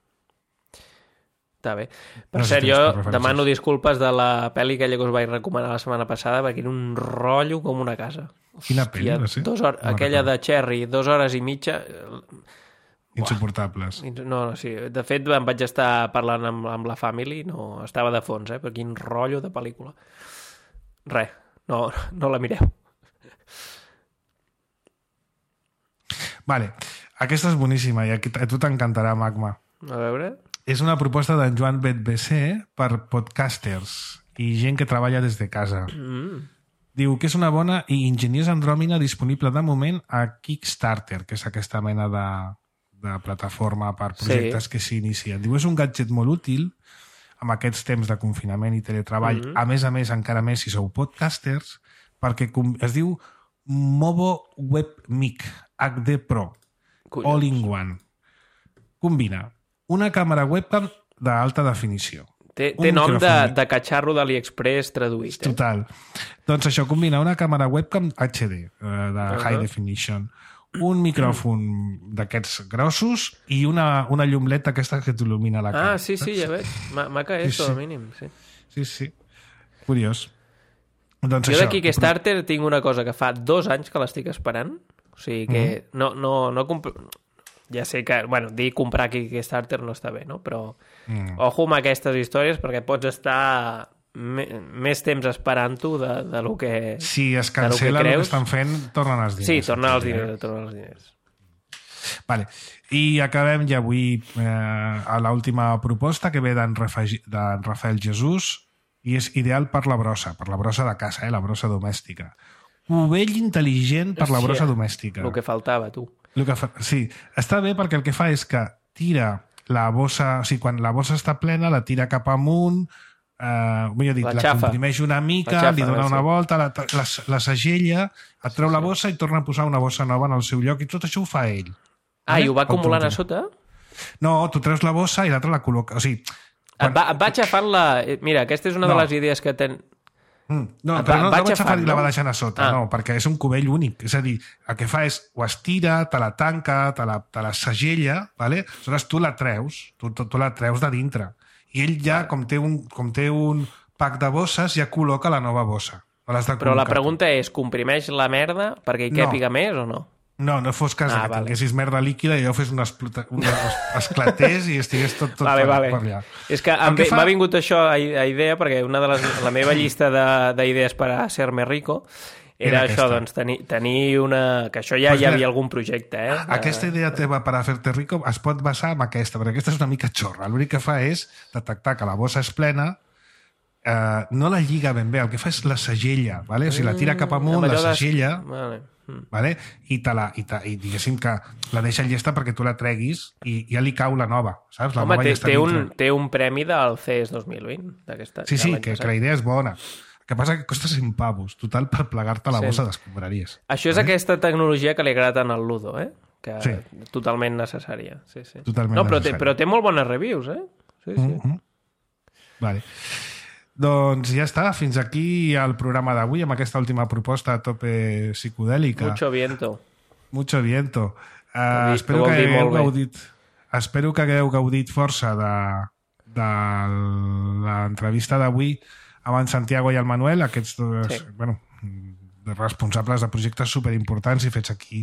Speaker 3: Està bé. Per cert, jo demano disculpes de la pel·li aquella que us vaig recomanar la setmana passada, perquè era un rotllo com una casa.
Speaker 2: Quina pel·li va ser?
Speaker 3: Aquella de Cherry, 2 hores i mitja...
Speaker 2: Insuportables.
Speaker 3: No, sí. De fet, em vaig estar parlant amb la family, no estava de fons, però quin rotllo de pel·lícula. Res, no la mireu.
Speaker 2: Vale, aquesta és boníssima i a tu t'encantarà, Magma.
Speaker 3: A veure...
Speaker 2: És una proposta d'en Joan Betbesser per podcasters i gent que treballa des de casa. Diu que és una bona i enginyers Andròmina disponible de moment a Kickstarter, que és aquesta mena de plataforma per projectes que s'inicien. Diu, és un gadget molt útil amb aquests temps de confinament i teletreball, a més, encara més si sou podcasters, perquè es diu Movo Web Mic HD Pro, All in One. Combina una càmera webcam d'alta definició.
Speaker 3: Té nom de catxarro d'AliExpress traduït.
Speaker 2: Total. Doncs això combina una càmera webcam HD, de High Definition, un micròfon d'aquests grossos i una llum LED aquesta que t'il·lumina la cara.
Speaker 3: Sí, ja veig. Maca esto, al mínim.
Speaker 2: Sí. Curiós. Doncs
Speaker 3: jo d'aquí Kickstarter tinc una cosa que fa 2 anys que l'estic esperant. O sigui que no ja sé que, dir comprar aquí Kickstarter no està bé, no? Però ojo amb aquestes històries perquè pots estar més temps esperant-ho de lo que
Speaker 2: si es cancela el que estan fent, tornen els diners.
Speaker 3: Sí, tornen els diners.
Speaker 2: Vale. I acabem ja avui a l'última proposta que ve d'en Rafael Jesús i és ideal per la brossa de casa, la brossa domèstica. Cubell intel·ligent per la brossa domèstica.
Speaker 3: El que faltava, tu.
Speaker 2: Sí, està bé perquè el que fa és que tira la bossa, o sigui, quan la bossa està plena, la tira cap amunt, millor dit, la comprimeix una mica, li dona una volta, la segella, et treu la bossa i torna a posar una bossa nova en el seu lloc i tot això ho fa ell.
Speaker 3: I ho va acumulant a sota?
Speaker 2: No, tu treus la bossa i l'altra la col·loca. O sigui,
Speaker 3: et va aixafant la... Mira, aquesta és una de les idees que ten...
Speaker 2: No, però no vaig agafar i la va deixant a sota, no, perquè és un cubell únic. És a dir, el que fa és ho estira, te la tanca, te la segella, ¿vale? Aleshores tu la treus, tu la treus de dintre. I ell ja, com té un pack de bosses, ja col·loca la nova bossa.
Speaker 3: Però la pregunta és, comprimeix la merda perquè hi càpiga més o no?
Speaker 2: No fos cas que tinguessis merda líquida i allò fes esclatés i estigués tot per allà.
Speaker 3: És que m'ha vingut això a idea perquè la meva llista d'idees per a ser més rico era això, doncs, tenir una... Que això ja hi havia algun projecte,
Speaker 2: Aquesta idea teva per a fer-te rico es pot basar en aquesta, perquè aquesta és una mica xorra. L'únic que fa és detectar que la bossa és plena, no la lliga ben bé, el que fa és la segella, ¿vale? O sigui, la tira cap amunt, la segella... Vale? I diguéssim que la deixa llesta perquè tu la treguis i ja li cau la nova, saps?
Speaker 3: Home, té un premi del CES 2020
Speaker 2: sí, que la idea és bona. El que passa que costa 100 pavos total per plegar-te la bossa d'escombraries.
Speaker 3: Això és aquesta tecnologia que li agrada tant al Ludo, que totalment necessària.
Speaker 2: Totalment necessària.
Speaker 3: Però té molt bones reviews, Sí.
Speaker 2: Vale. Doncs ja està, fins aquí el programa d'avui amb aquesta última proposta a tope psicodèlica. Mucho viento. Espero que hagueu gaudit força de l'entrevista d'avui amb en Santiago i el Manuel, aquests dos responsables de projectes superimportants i fets aquí,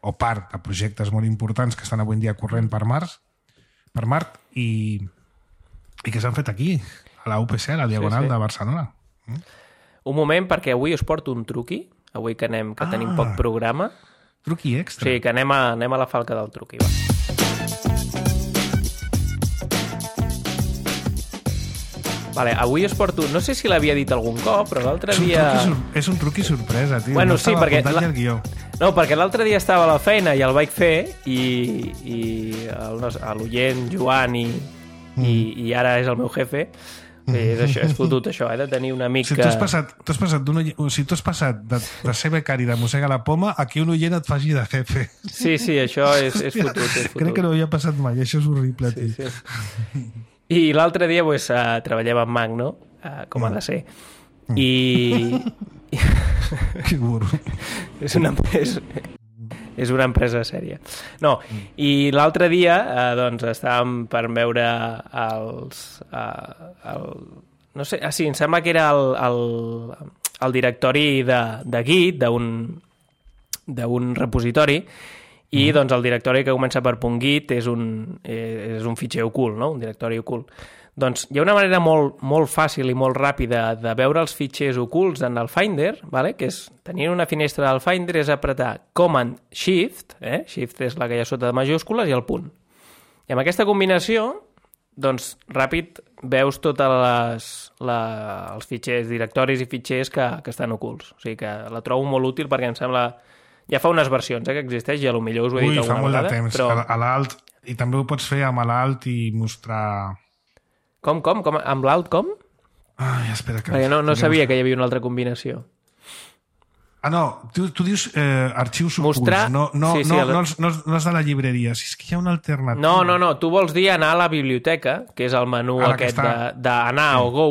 Speaker 2: o part de projectes molt importants que estan avui en dia corrent per Mart i que s'han fet aquí a la UPC, a la Diagonal de Barcelona.
Speaker 3: Un moment, perquè avui us porto un truqui, avui que tenim poc programa.
Speaker 2: Truqui extra.
Speaker 3: Sí, que anem a la falca del truqui, va. Vale, avui us porto... No sé si l'havia dit algun cop, però l'altre dia...
Speaker 2: És un truqui sorpresa, tio.
Speaker 3: Bueno, sí, perquè...
Speaker 2: No,
Speaker 3: perquè l'altre dia estava a la feina i el vaig fer i l'oient Joan i ara és el meu jefe. És fotut això, de tenir un amic
Speaker 2: que... Tu has passat de ser becari de Mossega la Poma a que un oient et faci de jefe.
Speaker 3: Sí, això és fotut.
Speaker 2: Crec que no havia passat mai, això és horrible.
Speaker 3: Sí. I l'altre dia treballem amb Mac, no? Com ha de ser. I...
Speaker 2: Que burro.
Speaker 3: És una empresa sèria. No, i l'altre dia estàvem per veure no sé, em sembla que era el directori de Git, d'un repositori, i doncs el directori que comença per .git és un fitxer ocult, no? Un directori ocult. Doncs hi ha una manera molt, molt fàcil i molt ràpida de veure els fitxers ocults en el Finder, vale? Que és tenir una finestra del Finder, és apretar Command Shift, Shift és la que hi ha sota de majúscules, i el punt. I amb aquesta combinació, doncs, ràpid veus tots els fitxers, directoris i fitxers que estan ocults. O sigui que la trobo molt útil perquè em sembla Ja fa unes versions, que existeix, i potser us ho he dit alguna vegada.
Speaker 2: Ui, fa molt de temps. Però... A l'alt, i també ho pots fer amb l'alt i mostrar...
Speaker 3: Com? Amb l'alt com?
Speaker 2: Ai, espera que...
Speaker 3: Perquè no sabia que hi havia una altra combinació.
Speaker 2: No, tu dius arxius ocults,
Speaker 3: mostrar...
Speaker 2: no és de la llibreria, si és que hi ha una alternativa.
Speaker 3: No, tu vols dir anar a la biblioteca, que és el menú aquest d'anar o go,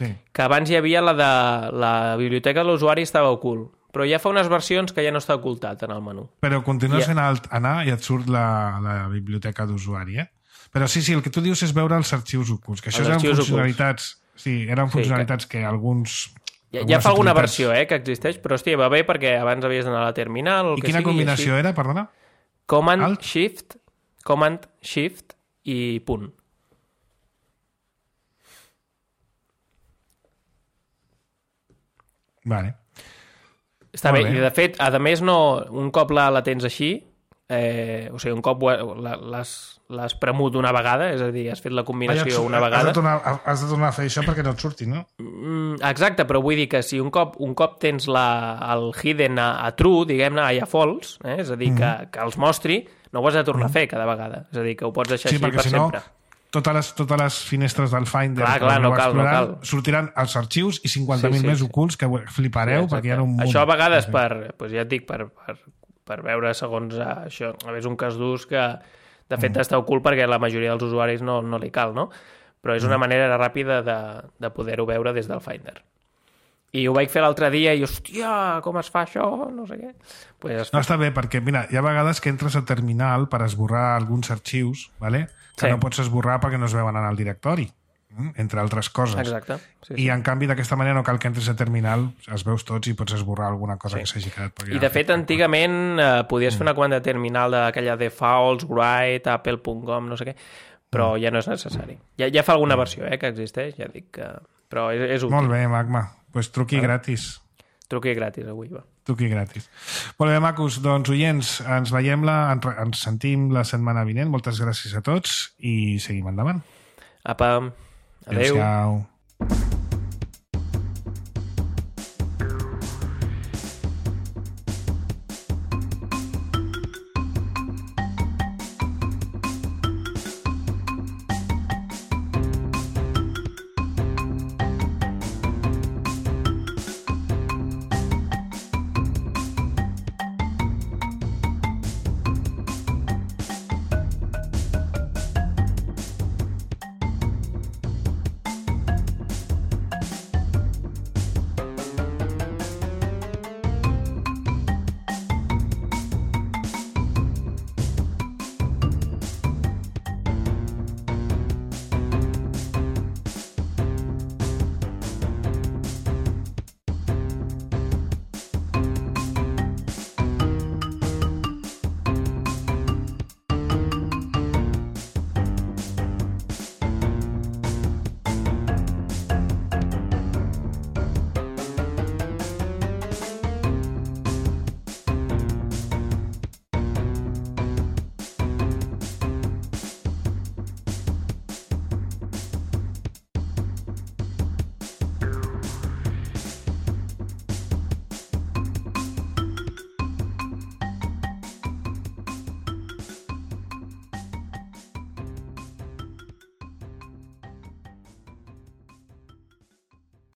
Speaker 3: que abans hi havia la de la biblioteca de l'usuari estava ocult, però ja fa unes versions que ja no està ocultat en el menú.
Speaker 2: Però continues fent alt anar i et surt la biblioteca d'usuari, Però sí, el que tu dius és veure els arxius ocults, que això eren funcionalitats... Sí, eren funcionalitats que alguns...
Speaker 3: Ja fa alguna versió, que existeix, però hòstia, va bé perquè abans havies d'anar a la terminal...
Speaker 2: I quina combinació era, perdona?
Speaker 3: Command, Shift i punt.
Speaker 2: Vale.
Speaker 3: Està bé, i de fet, a més, un cop la tens així, o sigui, un cop l'has premut una vegada, és a dir, has fet la combinació una vegada...
Speaker 2: Has de tornar a fer això perquè no et surti, no?
Speaker 3: Exacte, però vull dir que si un cop tens el hidden a true, diguem-ne, a false, és a dir, que els mostri, no ho has de tornar a fer cada vegada. És a dir, que ho pots deixar així per sempre.
Speaker 2: Totes les finestres del Finder
Speaker 3: no cal.
Speaker 2: sortiran els arxius i 50.000 més ocults que flipareu perquè hi ha un munt.
Speaker 3: Això a vegades ja et dic, per veure segons això, és un cas d'ús que de fet està ocult perquè la majoria dels usuaris no li cal, no? Però és una manera ràpida de poder-ho veure des del Finder. I ho vaig fer l'altre dia i, hòstia, com es fa això? No sé què.
Speaker 2: No, està bé, perquè mira, hi ha vegades que entres a terminal per esborrar alguns arxius, que no pots esborrar perquè no es veuen en el directori, entre altres coses.
Speaker 3: Exacte.
Speaker 2: I en canvi d'aquesta manera no cal que entres a terminal, els veus tots i pots esborrar alguna cosa que s'hagi quedat.
Speaker 3: I de fet antigament podies fer una comanda de terminal d'aquella de defaults, write, apple.com, no sé què, però ja no és necessari. Ja fa alguna versió que existeix, ja dic que... Però és útil.
Speaker 2: Molt bé, Magma. Doncs truqui gratis.
Speaker 3: Truqui gratis avui, va.
Speaker 2: Truqui gratis. Molt bé, macos. Doncs, oients, ens veiem ens sentim la setmana vinent. Moltes gràcies a tots i seguim endavant.
Speaker 3: Apa. Adéu.
Speaker 2: Adéu.